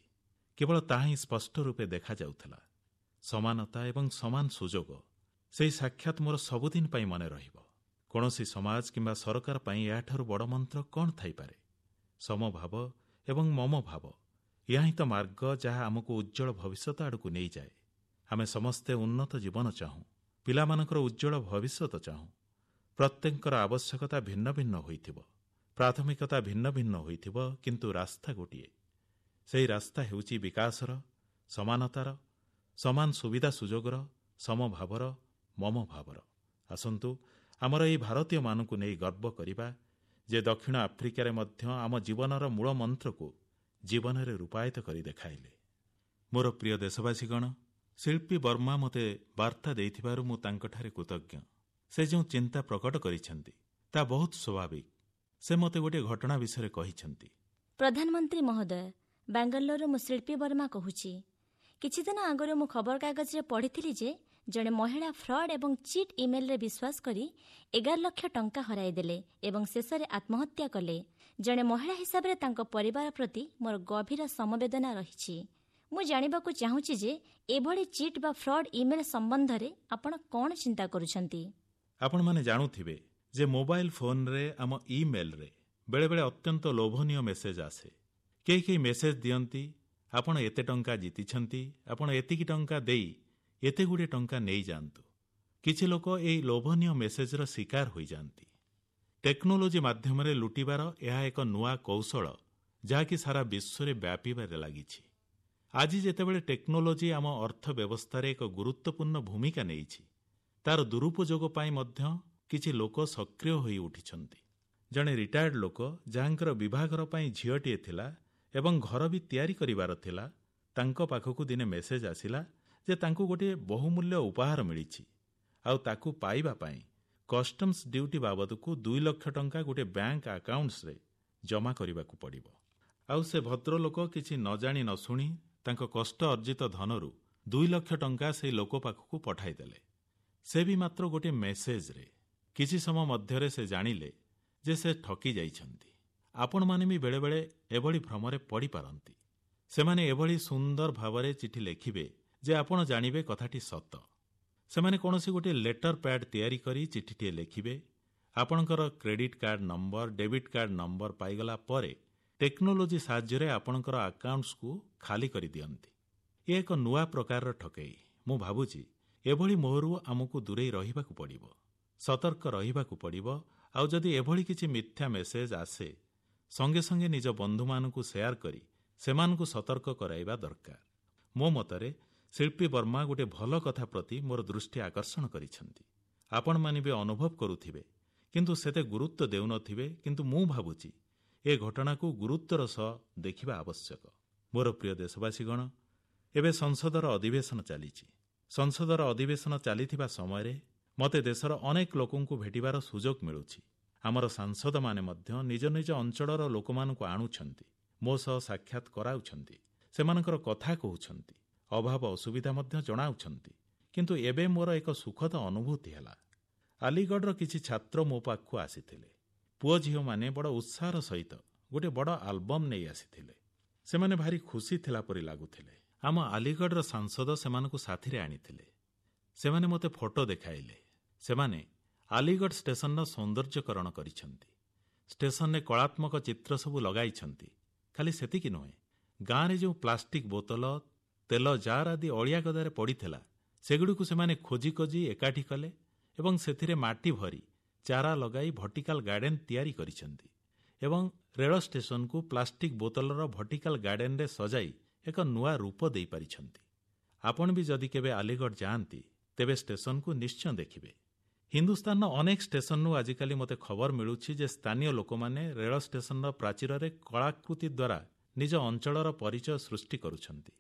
କେବଳ ତାହା ହିଁ ସ୍ପଷ୍ଟ ରୂପେ ଦେଖାଯାଉଥିଲା। ସମାନତା ଏବଂ ସମାନ ସୁଯୋଗ। ସେହି ସାକ୍ଷାତ ମୋର ସବୁଦିନ ପାଇଁ ମନେ ରହିବ। କୌଣସି ସମାଜ କିମ୍ବା ସରକାର ପାଇଁ ଏହାଠାରୁ ବଡ଼ ମନ୍ତ୍ର କଣ ଥାଇପାରେ? ସମଭାବ ଏବଂ ମମଭାବ, ଏହା ହିଁ ତ ମାର୍ଗ ଯାହା ଆମକୁ ଉଜ୍ଜ୍ୱଳ ଭବିଷ୍ୟତ ଆଡ଼କୁ ନେଇଯାଏ। ଆମେ ସମସ୍ତେ ଉନ୍ନତ ଜୀବନ ଚାହୁଁ, ପିଲାମାନଙ୍କର ଉଜ୍ଜ୍ୱଳ ଭବିଷ୍ୟତ ଚାହୁଁ। ପ୍ରତ୍ୟେକଙ୍କର ଆବଶ୍ୟକତା ଭିନ୍ନ ଭିନ୍ନ ହୋଇଥିବ, ପ୍ରାଥମିକତା ଭିନ୍ନ ଭିନ୍ନ ହୋଇଥିବ, କିନ୍ତୁ ରାସ୍ତା ଗୋଟିଏ। ସେହି ରାସ୍ତା ହେଉଛି ବିକାଶର, ସମାନତାର, ସମାନ ସୁବିଧା ସୁଯୋଗର, ସମଭାବର, ମମଭାବର। ଆସନ୍ତୁ ଆମର ଏହି ଭାରତୀୟମାନଙ୍କୁ ନେଇ ଗର୍ବ କରିବା ଯେ ଦକ୍ଷିଣ ଆଫ୍ରିକାରେ ମଧ୍ୟ ଆମ ଜୀବନର ମୂଳ ମନ୍ତ୍ରକୁ ଜୀବନରେ ରୂପାୟିତ କରି ଦେଖାଇଲେ। ମୋର ପ୍ରିୟ ଦେଶବାସୀଗଣ, ଶିଳ୍ପୀ ବର୍ମା ମୋତେ ବାର୍ତ୍ତା ଦେଇଥିବାରୁ ମୁଁ ତାଙ୍କଠାରେ କୃତଜ୍ଞ। ସେ ଯେଉଁ ଚିନ୍ତା ପ୍ରକଟ କରିଛନ୍ତି ତାହା ବହୁତ ସ୍ୱାଭାବିକ। ସେ ମୋତେ ଗୋଟିଏ ଘଟଣା ବିଷୟରେ କହିଛନ୍ତି। ପ୍ରଧାନମନ୍ତ୍ରୀ ମହୋଦୟ, ବାଙ୍ଗାଲୋରରୁ ମୁଁ ଶିଳ୍ପୀ ବର୍ମା କହୁଛି। କିଛିଦିନ ଆଗରୁ ମୁଁ ଖବରକାଗଜରେ ପଢ଼ିଥିଲି ଯେ ଜଣେ ମହିଳା ଫ୍ରଡ୍ ଏବଂ ଚିଟ୍ ଇମେଲରେ ବିଶ୍ୱାସ କରି 11 ଲକ୍ଷ ଟଙ୍କା ହରାଇଦେଲେ ଏବଂ ଶେଷରେ ଆତ୍ମହତ୍ୟା କଲେ। ଜଣେ ମହିଳା ହିସାବରେ ତାଙ୍କ ପରିବାର ପ୍ରତି ମୋର ଗଭୀର ସମବେଦନା ରହିଛି। ମୁଁ ଜାଣିବାକୁ ଚାହୁଁଛି ଯେ ଏଭଳି ଚିଟ୍ ବା ଫ୍ରଡ୍ ଇମେଲ ସମ୍ବନ୍ଧରେ ଆପଣ କଣ ଚିନ୍ତା କରୁଛନ୍ତି? ଆପଣମାନେ ଜାଣୁଥିବେ ଯେ ମୋବାଇଲ ଫୋନରେ ଆମ ଇମେଲରେ ବେଳେବେଳେ ଅତ୍ୟନ୍ତ ଲୋଭନୀୟ ମେସେଜ ଆସେ। କେହି କେହି ମେସେଜ ଦିଅନ୍ତି, ଆପଣ ଏତେ ଟଙ୍କା ଜିତିଛନ୍ତି, ଆପଣ ଏତିକି ଟଙ୍କା ଦେଇ ଏତେ ଗୁଡ଼ିଏ ଟଙ୍କା ନେଇଯାଆନ୍ତୁ। କିଛି ଲୋକ ଏହି ଲୋଭନୀୟ ମେସେଜର ଶିକାର ହୋଇଯାଆନ୍ତି। ଟେକ୍ନୋଲୋଜି ମାଧ୍ୟମରେ ଲୁଟିବାର ଏହା ଏକ ନୂଆ କୌଶଳ, ଯାହାକି ସାରା ବିଶ୍ୱରେ ବ୍ୟାପିବାରେ ଲାଗିଛି। ଆଜି ଯେତେବେଳେ ଟେକ୍ନୋଲୋଜି ଆମ ଅର୍ଥ ବ୍ୟବସ୍ଥାରେ ଏକ ଗୁରୁତ୍ୱପୂର୍ଣ୍ଣ ଭୂମିକା ନେଇଛି, ତାର ଦୁରୁପଯୋଗ ପାଇଁ ମଧ୍ୟ କିଛି ଲୋକ ସକ୍ରିୟ ହୋଇ ଉଠିଛନ୍ତି। ଜଣେ ରିଟାୟାର୍ଡ ଲୋକ, ଯାହାଙ୍କର ବିବାହଘର ପାଇଁ ଝିଅଟିଏ ଥିଲା ଏବଂ ଘର ବି ତିଆରି କରିବାର ଥିଲା, ତାଙ୍କ ପାଖକୁ ଦିନେ ମେସେଜ ଆସିଲା ଯେ ତାଙ୍କୁ ଗୋଟିଏ ବହୁମୂଲ୍ୟ ଉପହାର ମିଳିଛି, ଆଉ ତାକୁ ପାଇବା ପାଇଁ କଷ୍ଟମ୍ସ ଡ୍ୟୁଟି ବାବଦକୁ 2 ଲକ୍ଷ ଟଙ୍କା ଗୋଟିଏ ବ୍ୟାଙ୍କ ଆକାଉଣ୍ଟସରେ ଜମା କରିବାକୁ ପଡ଼ିବ। ଆଉ ସେ ଭଦ୍ରଲୋକ କିଛି ନ ଜାଣି ନ ଶୁଣି ତାଙ୍କ କଷ୍ଟ ଅର୍ଜିତ ଧନରୁ 2 ଲକ୍ଷ ଟଙ୍କା ସେଇ ଲୋକ ପାଖକୁ ପଠାଇଦେଲେ, ସେ ବି ମାତ୍ର ଗୋଟିଏ ମେସେଜରେ। କିଛି ସମୟ ମଧ୍ୟରେ ସେ ଜାଣିଲେ ଯେ ସେ ଠକି ଯାଇଛନ୍ତି। ଆପଣମାନେ ବି ବେଳେବେଳେ ଏଭଳି ଭ୍ରମରେ ପଡ଼ିପାରନ୍ତି। ସେମାନେ ଏଭଳି ସୁନ୍ଦର ଭାବରେ ଚିଠି ଲେଖିବେ ଯେ ଆପଣ ଜାଣିବେ କଥାଟି ସତ। ସେମାନେ କୌଣସି ଗୋଟିଏ ଲେଟର ପ୍ୟାଡ୍ ତିଆରି କରି ଚିଠିଟିଏ ଲେଖିବେ। ଆପଣଙ୍କର credit card number, debit card number ପାଇଗଲା ପରେ ଟେକ୍ନୋଲୋଜି ସାହାଯ୍ୟରେ ଆପଣଙ୍କର ଆକାଉଣ୍ଟସକୁ ଖାଲି କରିଦିଅନ୍ତି। ଏ ଏକ ନୂଆ ପ୍ରକାରର ଠକେଇ। ମୁଁ ଭାବୁଛି ଏଭଳି ମୋହରୁ ଆମକୁ ଦୂରେଇ ରହିବାକୁ ପଡ଼ିବ। ସତର୍କ ରହିବାକୁ ପଡ଼ିବ ଆଉ ଯଦି ଏଭଳି କିଛି ମିଥ୍ୟା ମେସେଜ ଆସେ, ସଙ୍ଗେ ସଙ୍ଗେ ନିଜ ବନ୍ଧୁମାନଙ୍କୁ ସେୟାର କରି ସେମାନଙ୍କୁ ସତର୍କ କରାଇବା ଦରକାର। ମୋ ମତରେ ଶିଳ୍ପୀ ବର୍ମା ଗୋଟିଏ ଭଲ କଥା ପ୍ରତି ମୋର ଦୃଷ୍ଟି ଆକର୍ଷଣ କରିଛନ୍ତି। ଆପଣମାନେ ବି ଅନୁଭବ କରୁଥିବେ, କିନ୍ତୁ ସେତେ ଗୁରୁତ୍ୱ ଦେଉନଥିବେ, କିନ୍ତୁ ମୁଁ ଭାବୁଛି ଏ ଘଟଣାକୁ ଗୁରୁତ୍ୱର ସହ ଦେଖିବା ଆବଶ୍ୟକ। ମୋର ପ୍ରିୟ ଦେଶବାସୀଗଣ, ଏବେ ସଂସଦର ଅଧିବେଶନ ଚାଲିଛି। ସଂସଦର ଅଧିବେଶନ ଚାଲିଥିବା ସମୟରେ ମୋତେ ଦେଶର ଅନେକ ଲୋକଙ୍କୁ ଭେଟିବାର ସୁଯୋଗ ମିଳୁଛି। ଆମର ସାଂସଦମାନେ ମଧ୍ୟ ନିଜ ନିଜ ଅଞ୍ଚଳର ଲୋକମାନଙ୍କୁ ଆଣୁଛନ୍ତି, ମୋ ସହ ସାକ୍ଷାତ କରାଉଛନ୍ତି, ସେମାନଙ୍କର କଥା କହୁଛନ୍ତି, ଅଭାବ ଅସୁବିଧା ମଧ୍ୟ ଜଣାଉଛନ୍ତି। କିନ୍ତୁ ଏବେ ମୋର ଏକ ସୁଖଦ ଅନୁଭୂତି ହେଲା। ଆଲିଗଡ଼ର କିଛି ଛାତ୍ର ମୋ ପାଖକୁ ଆସିଥିଲେ। ପୁଅ ଝିଅମାନେ ବଡ଼ ଉତ୍ସାହର ସହିତ ଗୋଟିଏ ବଡ଼ ଆଲବମ୍ ନେଇ ଆସିଥିଲେ। ସେମାନେ ଭାରି ଖୁସି ଥିଲା ପରି ଲାଗୁଥିଲେ। ଆମ ଆଲିଗଡ଼ର ସାଂସଦ ସେମାନଙ୍କୁ ସାଥିରେ ଆଣିଥିଲେ। ସେମାନେ ମୋତେ ଫଟୋ ଦେଖାଇଲେ। ସେମାନେ ଆଲିଗଡ଼ ଷ୍ଟେସନର ସୌନ୍ଦର୍ଯ୍ୟକରଣ କରିଛନ୍ତି। ଷ୍ଟେସନରେ କଳାତ୍ମକ ଚିତ୍ର ସବୁ ଲଗାଇଛନ୍ତି। ଖାଲି ସେତିକି ନୁହେଁ, ଗାଁରେ ଯେଉଁ ପ୍ଲାଷ୍ଟିକ୍ ବୋତଲ, ତେଲ ଜାର ଆଦି ଅଳିଆ ଗଦାରେ ପଡ଼ିଥିଲା, ସେଗୁଡ଼ିକୁ ସେମାନେ ଖୋଜି ଖୋଜି ଏକାଠି କଲେ ଏବଂ ସେଥିରେ ମାଟି ଭରି ଚାରା ଲଗାଇ ଭର୍ଟିକାଲ ଗାର୍ଡେନ ତିଆରି କରିଛନ୍ତି ଏବଂ ରେଳ ଷ୍ଟେସନକୁ ପ୍ଲାଷ୍ଟିକ୍ ବୋତଲର ଭର୍ଟିକାଲ ଗାର୍ଡେନରେ ସଜାଇ ଏକ ନୂଆ ରୂପ ଦେଇପାରିଛନ୍ତି। ଆପଣ ବି ଯଦି କେବେ ଆଲିଗଡ଼ ଯାଆନ୍ତି, ତେବେ ଷ୍ଟେସନକୁ ନିଶ୍ଚୟ ଦେଖିବେ। ହିନ୍ଦୁସ୍ତାନର ଅନେକ ଷ୍ଟେସନରୁ ଆଜିକାଲି ମୋତେ ଖବର ମିଳୁଛି ଯେ ସ୍ଥାନୀୟ ଲୋକମାନେ ରେଳ ଷ୍ଟେସନର ପ୍ରାଚୀରରେ କଳାକୃତି ଦ୍ୱାରା ନିଜ ଅଞ୍ଚଳର ପରିଚୟ ସୃଷ୍ଟି କରୁଛନ୍ତି।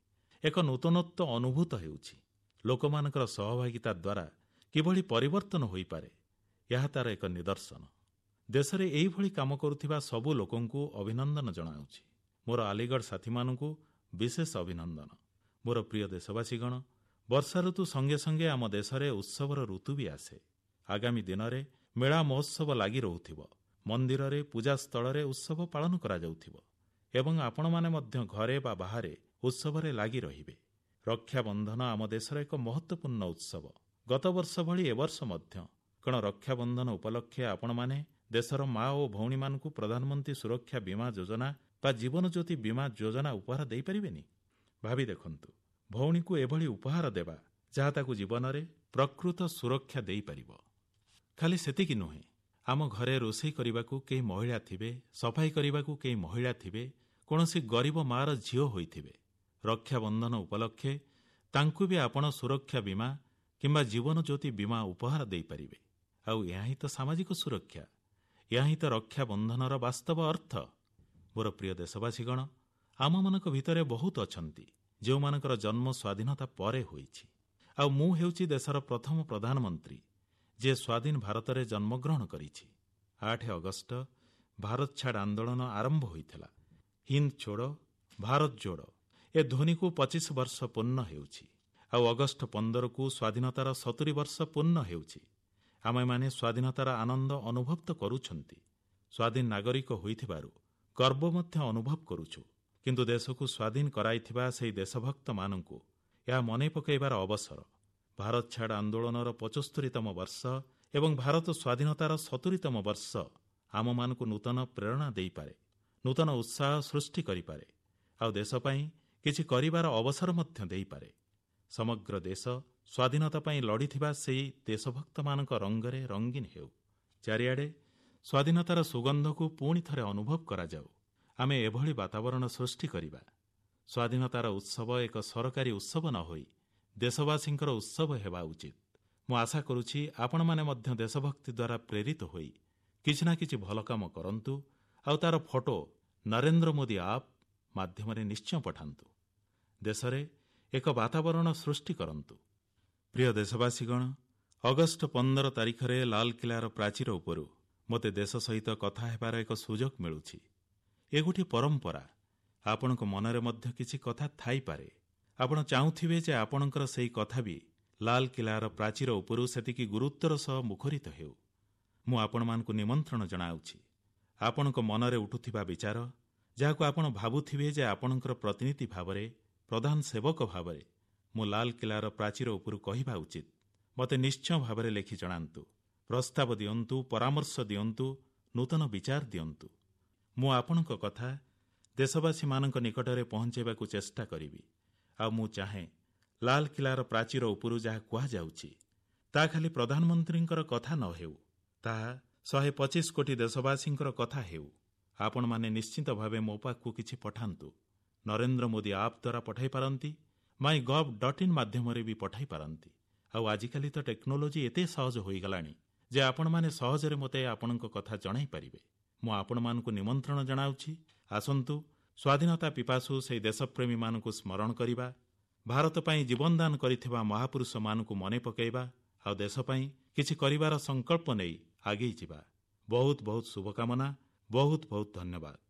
ଏକ ନୂତନତ୍ୱ ଅନୁଭୂତ ହେଉଛି। ଲୋକମାନଙ୍କର ସହଭାଗିତା ଦ୍ୱାରା କିଭଳି ପରିବର୍ତ୍ତନ ହୋଇପାରେ, ଏହା ତାର ଏକ ନିଦର୍ଶନ। ଦେଶରେ ଏହିଭଳି କାମ କରୁଥିବା ସବୁ ଲୋକଙ୍କୁ ଅଭିନନ୍ଦନ ଜଣାଉଛି। ମୋର ଆଲିଗଡ଼ ସାଥୀମାନଙ୍କୁ ବିଶେଷ ଅଭିନନ୍ଦନ। ମୋର ପ୍ରିୟ ଦେଶବାସୀଗଣ, ବର୍ଷା ଋତୁ ସଙ୍ଗେ ସଙ୍ଗେ ଆମ ଦେଶରେ ଉତ୍ସବର ଋତୁ ବି ଆସେ। ଆଗାମୀ ଦିନରେ ମେଳା ମହୋତ୍ସବ ଲାଗି ରହୁଥିବ। ମନ୍ଦିରରେ, ପୂଜାସ୍ଥଳରେ ଉତ୍ସବ ପାଳନ କରାଯାଉଥିବ ଏବଂ ଆପଣମାନେ ମଧ୍ୟ ଘରେ ବା ବାହାରେ ଉତ୍ସବରେ ଲାଗି ରହିବେ। ରକ୍ଷାବନ୍ଧନ ଆମ ଦେଶର ଏକ ମହତ୍ୱପୂର୍ଣ୍ଣ ଉତ୍ସବ। ଗତବର୍ଷ ଭଳି ଏବର୍ଷ ମଧ୍ୟ କଣ ରକ୍ଷାବନ୍ଧନ ଉପଲକ୍ଷେ ଆପଣମାନେ ଦେଶର ମା ଓ ଭଉଣୀମାନଙ୍କୁ ପ୍ରଧାନମନ୍ତ୍ରୀ ସୁରକ୍ଷା ବୀମା ଯୋଜନା ବା ଜୀବନ ଜ୍ୟୋତି ବୀମା ଯୋଜନା ଉପହାର ଦେଇପାରିବେନି? ଭାବି ଦେଖନ୍ତୁ, ଭଉଣୀକୁ ଏଭଳି ଉପହାର ଦେବା ଯାହା ତାକୁ ଜୀବନରେ ପ୍ରକୃତ ସୁରକ୍ଷା ଦେଇପାରିବ। ଖାଲି ସେତିକି ନୁହେଁ, ଆମ ଘରେ ରୋଷେଇ କରିବାକୁ କେହି ମହିଳା ଥିବେ, ସଫାଇ କରିବାକୁ କେହି ମହିଳା ଥିବେ, କୌଣସି ଗରିବ ମାର ଝିଅ ହୋଇଥିବେ, ରକ୍ଷାବନ୍ଧନ ଉପଲକ୍ଷେ ତାଙ୍କୁ ବି ଆପଣ ସୁରକ୍ଷା ବୀମା କିମ୍ବା ଜୀବନ ଜ୍ୟୋତି ବୀମା ଉପହାର ଦେଇପାରିବେ। ଆଉ ଏହା ହିଁ ତ ସାମାଜିକ ସୁରକ୍ଷା, ଏହା ହିଁ ତ ରକ୍ଷାବନ୍ଧନର ବାସ୍ତବ ଅର୍ଥ। ମୋର ପ୍ରିୟ ଦେଶବାସୀଗଣ, ଆମମାନଙ୍କ ଭିତରେ ବହୁତ ଅଛନ୍ତି ଯେଉଁମାନଙ୍କର ଜନ୍ମ ସ୍ୱାଧୀନତା ପରେ ହୋଇଛି। ଆଉ ମୁଁ ହେଉଛି ଦେଶର ପ୍ରଥମ ପ୍ରଧାନମନ୍ତ୍ରୀ ଯିଏ ସ୍ୱାଧୀନ ଭାରତରେ ଜନ୍ମଗ୍ରହଣ କରିଛି। 8 ଅଗଷ୍ଟ ଭାରତ ଛାଡ଼ ଆନ୍ଦୋଳନ ଆରମ୍ଭ ହୋଇଥିଲା। ହିନ୍ଦ ଛୋଡ଼ ଭାରତ ଯୋଡ଼ ଏ ଧ୍ୱନିକୁ 25 ବର୍ଷ ପୂର୍ଣ୍ଣ ହେଉଛି। ଆଉ ଅଗଷ୍ଟ 15କୁ ସ୍ୱାଧୀନତାର 70 ବର୍ଷ ପୂର୍ଣ୍ଣ ହେଉଛି। ଆମେମାନେ ସ୍ୱାଧୀନତାର ଆନନ୍ଦ ଅନୁଭବ ତ କରୁଛନ୍ତି, ସ୍ୱାଧୀନ ନାଗରିକ ହୋଇଥିବାରୁ ଗର୍ବ ମଧ୍ୟ ଅନୁଭବ କରୁଛୁ, କିନ୍ତୁ ଦେଶକୁ ସ୍ୱାଧୀନ କରାଇଥିବା ସେହି ଦେଶଭକ୍ତମାନଙ୍କୁ ଏହା ମନେ ପକାଇବାର ଅବସର। ଭାରତ ଛାଡ଼ ଆନ୍ଦୋଳନର 75ତମ ବର୍ଷ ଏବଂ ଭାରତ ସ୍ୱାଧୀନତାର 70ତମ ବର୍ଷ ଆମମାନଙ୍କୁ ନୂତନ ପ୍ରେରଣା ଦେଇପାରେ, ନୂତନ ଉତ୍ସାହ ସୃଷ୍ଟି କରିପାରେ, ଆଉ ଦେଶ ପାଇଁ କିଛି କରିବାର ଅବସର ମଧ୍ୟ ଦେଇପାରେ। ସମଗ୍ର ଦେଶ ସ୍ୱାଧୀନତା ପାଇଁ ଲଢ଼ିଥିବା ସେହି ଦେଶଭକ୍ତମାନଙ୍କ ରଙ୍ଗରେ ରଙ୍ଗୀନ ହେଉ। ଚାରିଆଡ଼େ ସ୍ୱାଧୀନତାର ସୁଗନ୍ଧକୁ ପୁଣି ଥରେ ଅନୁଭବ କରାଯାଉ। ଆମେ ଏଭଳି ବାତାବରଣ ସୃଷ୍ଟି କରିବା। ସ୍ୱାଧୀନତାର ଉତ୍ସବ ଏକ ସରକାରୀ ଉତ୍ସବ ନ ହୋଇ ଦେଶବାସୀଙ୍କର ଉତ୍ସବ ହେବା ଉଚିତ। ମୁଁ ଆଶା କରୁଛି ଆପଣମାନେ ମଧ୍ୟ ଦେଶଭକ୍ତି ଦ୍ୱାରା ପ୍ରେରିତ ହୋଇ କିଛି ନା କିଛି ଭଲ କାମ କରନ୍ତୁ ଆଉ ତାର ଫଟୋ ନରେନ୍ଦ୍ର ମୋଦି ଆପ୍ ମାଧ୍ୟମରେ ନିଶ୍ଚୟ ପଠାନ୍ତୁ। ଦେଶରେ ଏକ ବାତାବରଣ ସୃଷ୍ଟି କରନ୍ତୁ। ପ୍ରିୟ ଦେଶବାସୀଗଣ, ଅଗଷ୍ଟ 15 ତାରିଖରେ ଲାଲକିଲ୍ଲାର ପ୍ରାଚୀର ଉପରୁ ମୋତେ ଦେଶ ସହିତ କଥା ହେବାର ଏକ ସୁଯୋଗ ମିଳୁଛି। ଏ ଗୋଟିଏ ପରମ୍ପରା। ଆପଣଙ୍କ ମନରେ ମଧ୍ୟ କିଛି କଥା ଥାଇପାରେ। ଆପଣ ଚାହୁଁଥିବେ ଯେ ଆପଣଙ୍କର ସେହି କଥା ବି ଲାଲକିଲ୍ଲାର ପ୍ରାଚୀର ଉପରୁ ସେତିକି ଗୁରୁତ୍ୱର ସହ ମୁଖରିତ ହେଉ। ମୁଁ ଆପଣମାନଙ୍କୁ ନିମନ୍ତ୍ରଣ ଜଣାଉଛି। ଆପଣଙ୍କ ମନରେ ଉଠୁଥିବା ବିଚାର, ଯାହାକୁ ଆପଣ ଭାବୁଥିବେ ଯେ ଆପଣଙ୍କର ପ୍ରତିନିଧି ଭାବରେ, ପ୍ରଧାନ ସେବକ ଭାବରେ ମୁଁ ଲାଲକିଲ୍ଲାର ପ୍ରାଚୀର ଉପରୁ କହିବା ଉଚିତ, ମୋତେ ନିଶ୍ଚୟ ଭାବରେ ଲେଖି ଜଣାନ୍ତୁ। ପ୍ରସ୍ତାବ ଦିଅନ୍ତୁ, ପରାମର୍ଶ ଦିଅନ୍ତୁ, ନୂତନ ବିଚାର ଦିଅନ୍ତୁ। ମୁଁ ଆପଣଙ୍କ କଥା ଦେଶବାସୀମାନଙ୍କ ନିକଟରେ ପହଞ୍ଚାଇବାକୁ ଚେଷ୍ଟା କରିବି। ଆଉ ମୁଁ ଚାହେଁ ଲାଲକିଲ୍ଲାର ପ୍ରାଚୀର ଉପରୁ ଯାହା କୁହାଯାଉଛି ତାହା ଖାଲି ପ୍ରଧାନମନ୍ତ୍ରୀଙ୍କ କଥା ନ ହେଉ, ତାହା 125 କୋଟି ଦେଶବାସୀଙ୍କ କଥା ହେଉ। ଆପଣମାନେ ନିଶ୍ଚିତ ଭାବେ ମୋ ପାଖକୁ କିଛି ପଠାନ୍ତୁ। ନରେନ୍ଦ୍ର ମୋଦି ଆପ୍ ଦ୍ୱାରା ପଠାଇପାରନ୍ତି, MyGov.in ମାଧ୍ୟମରେ ବି ପଠାଇପାରନ୍ତି। ଆଉ ଆଜିକାଲି ତ ଟେକ୍ନୋଲୋଜି ଏତେ ସହଜ ହୋଇଗଲାଣି ଯେ ଆପଣମାନେ ସହଜରେ ମୋତେ ଆପଣଙ୍କ କଥା ଜଣାଇପାରିବେ। ମୁଁ ଆପଣମାନଙ୍କୁ ନିମନ୍ତ୍ରଣ ଜଣାଉଛି, ଆସନ୍ତୁ ସ୍ୱାଧୀନତା ପିପାସୁ ସେହି ଦେଶପ୍ରେମୀମାନଙ୍କୁ ସ୍ମରଣ କରିବା, ଭାରତ ପାଇଁ ଜୀବନଦାନ କରିଥିବା ମହାପୁରୁଷମାନଙ୍କୁ ମନେ ପକାଇବା ଆଉ ଦେଶ ପାଇଁ କିଛି କରିବାର ସଂକଳ୍ପ ନେଇ ଆଗେଇ ଯିବା। ବହୁତ ବହୁତ ଶୁଭକାମନା, ବହୁତ ବହୁତ ଧନ୍ୟବାଦ।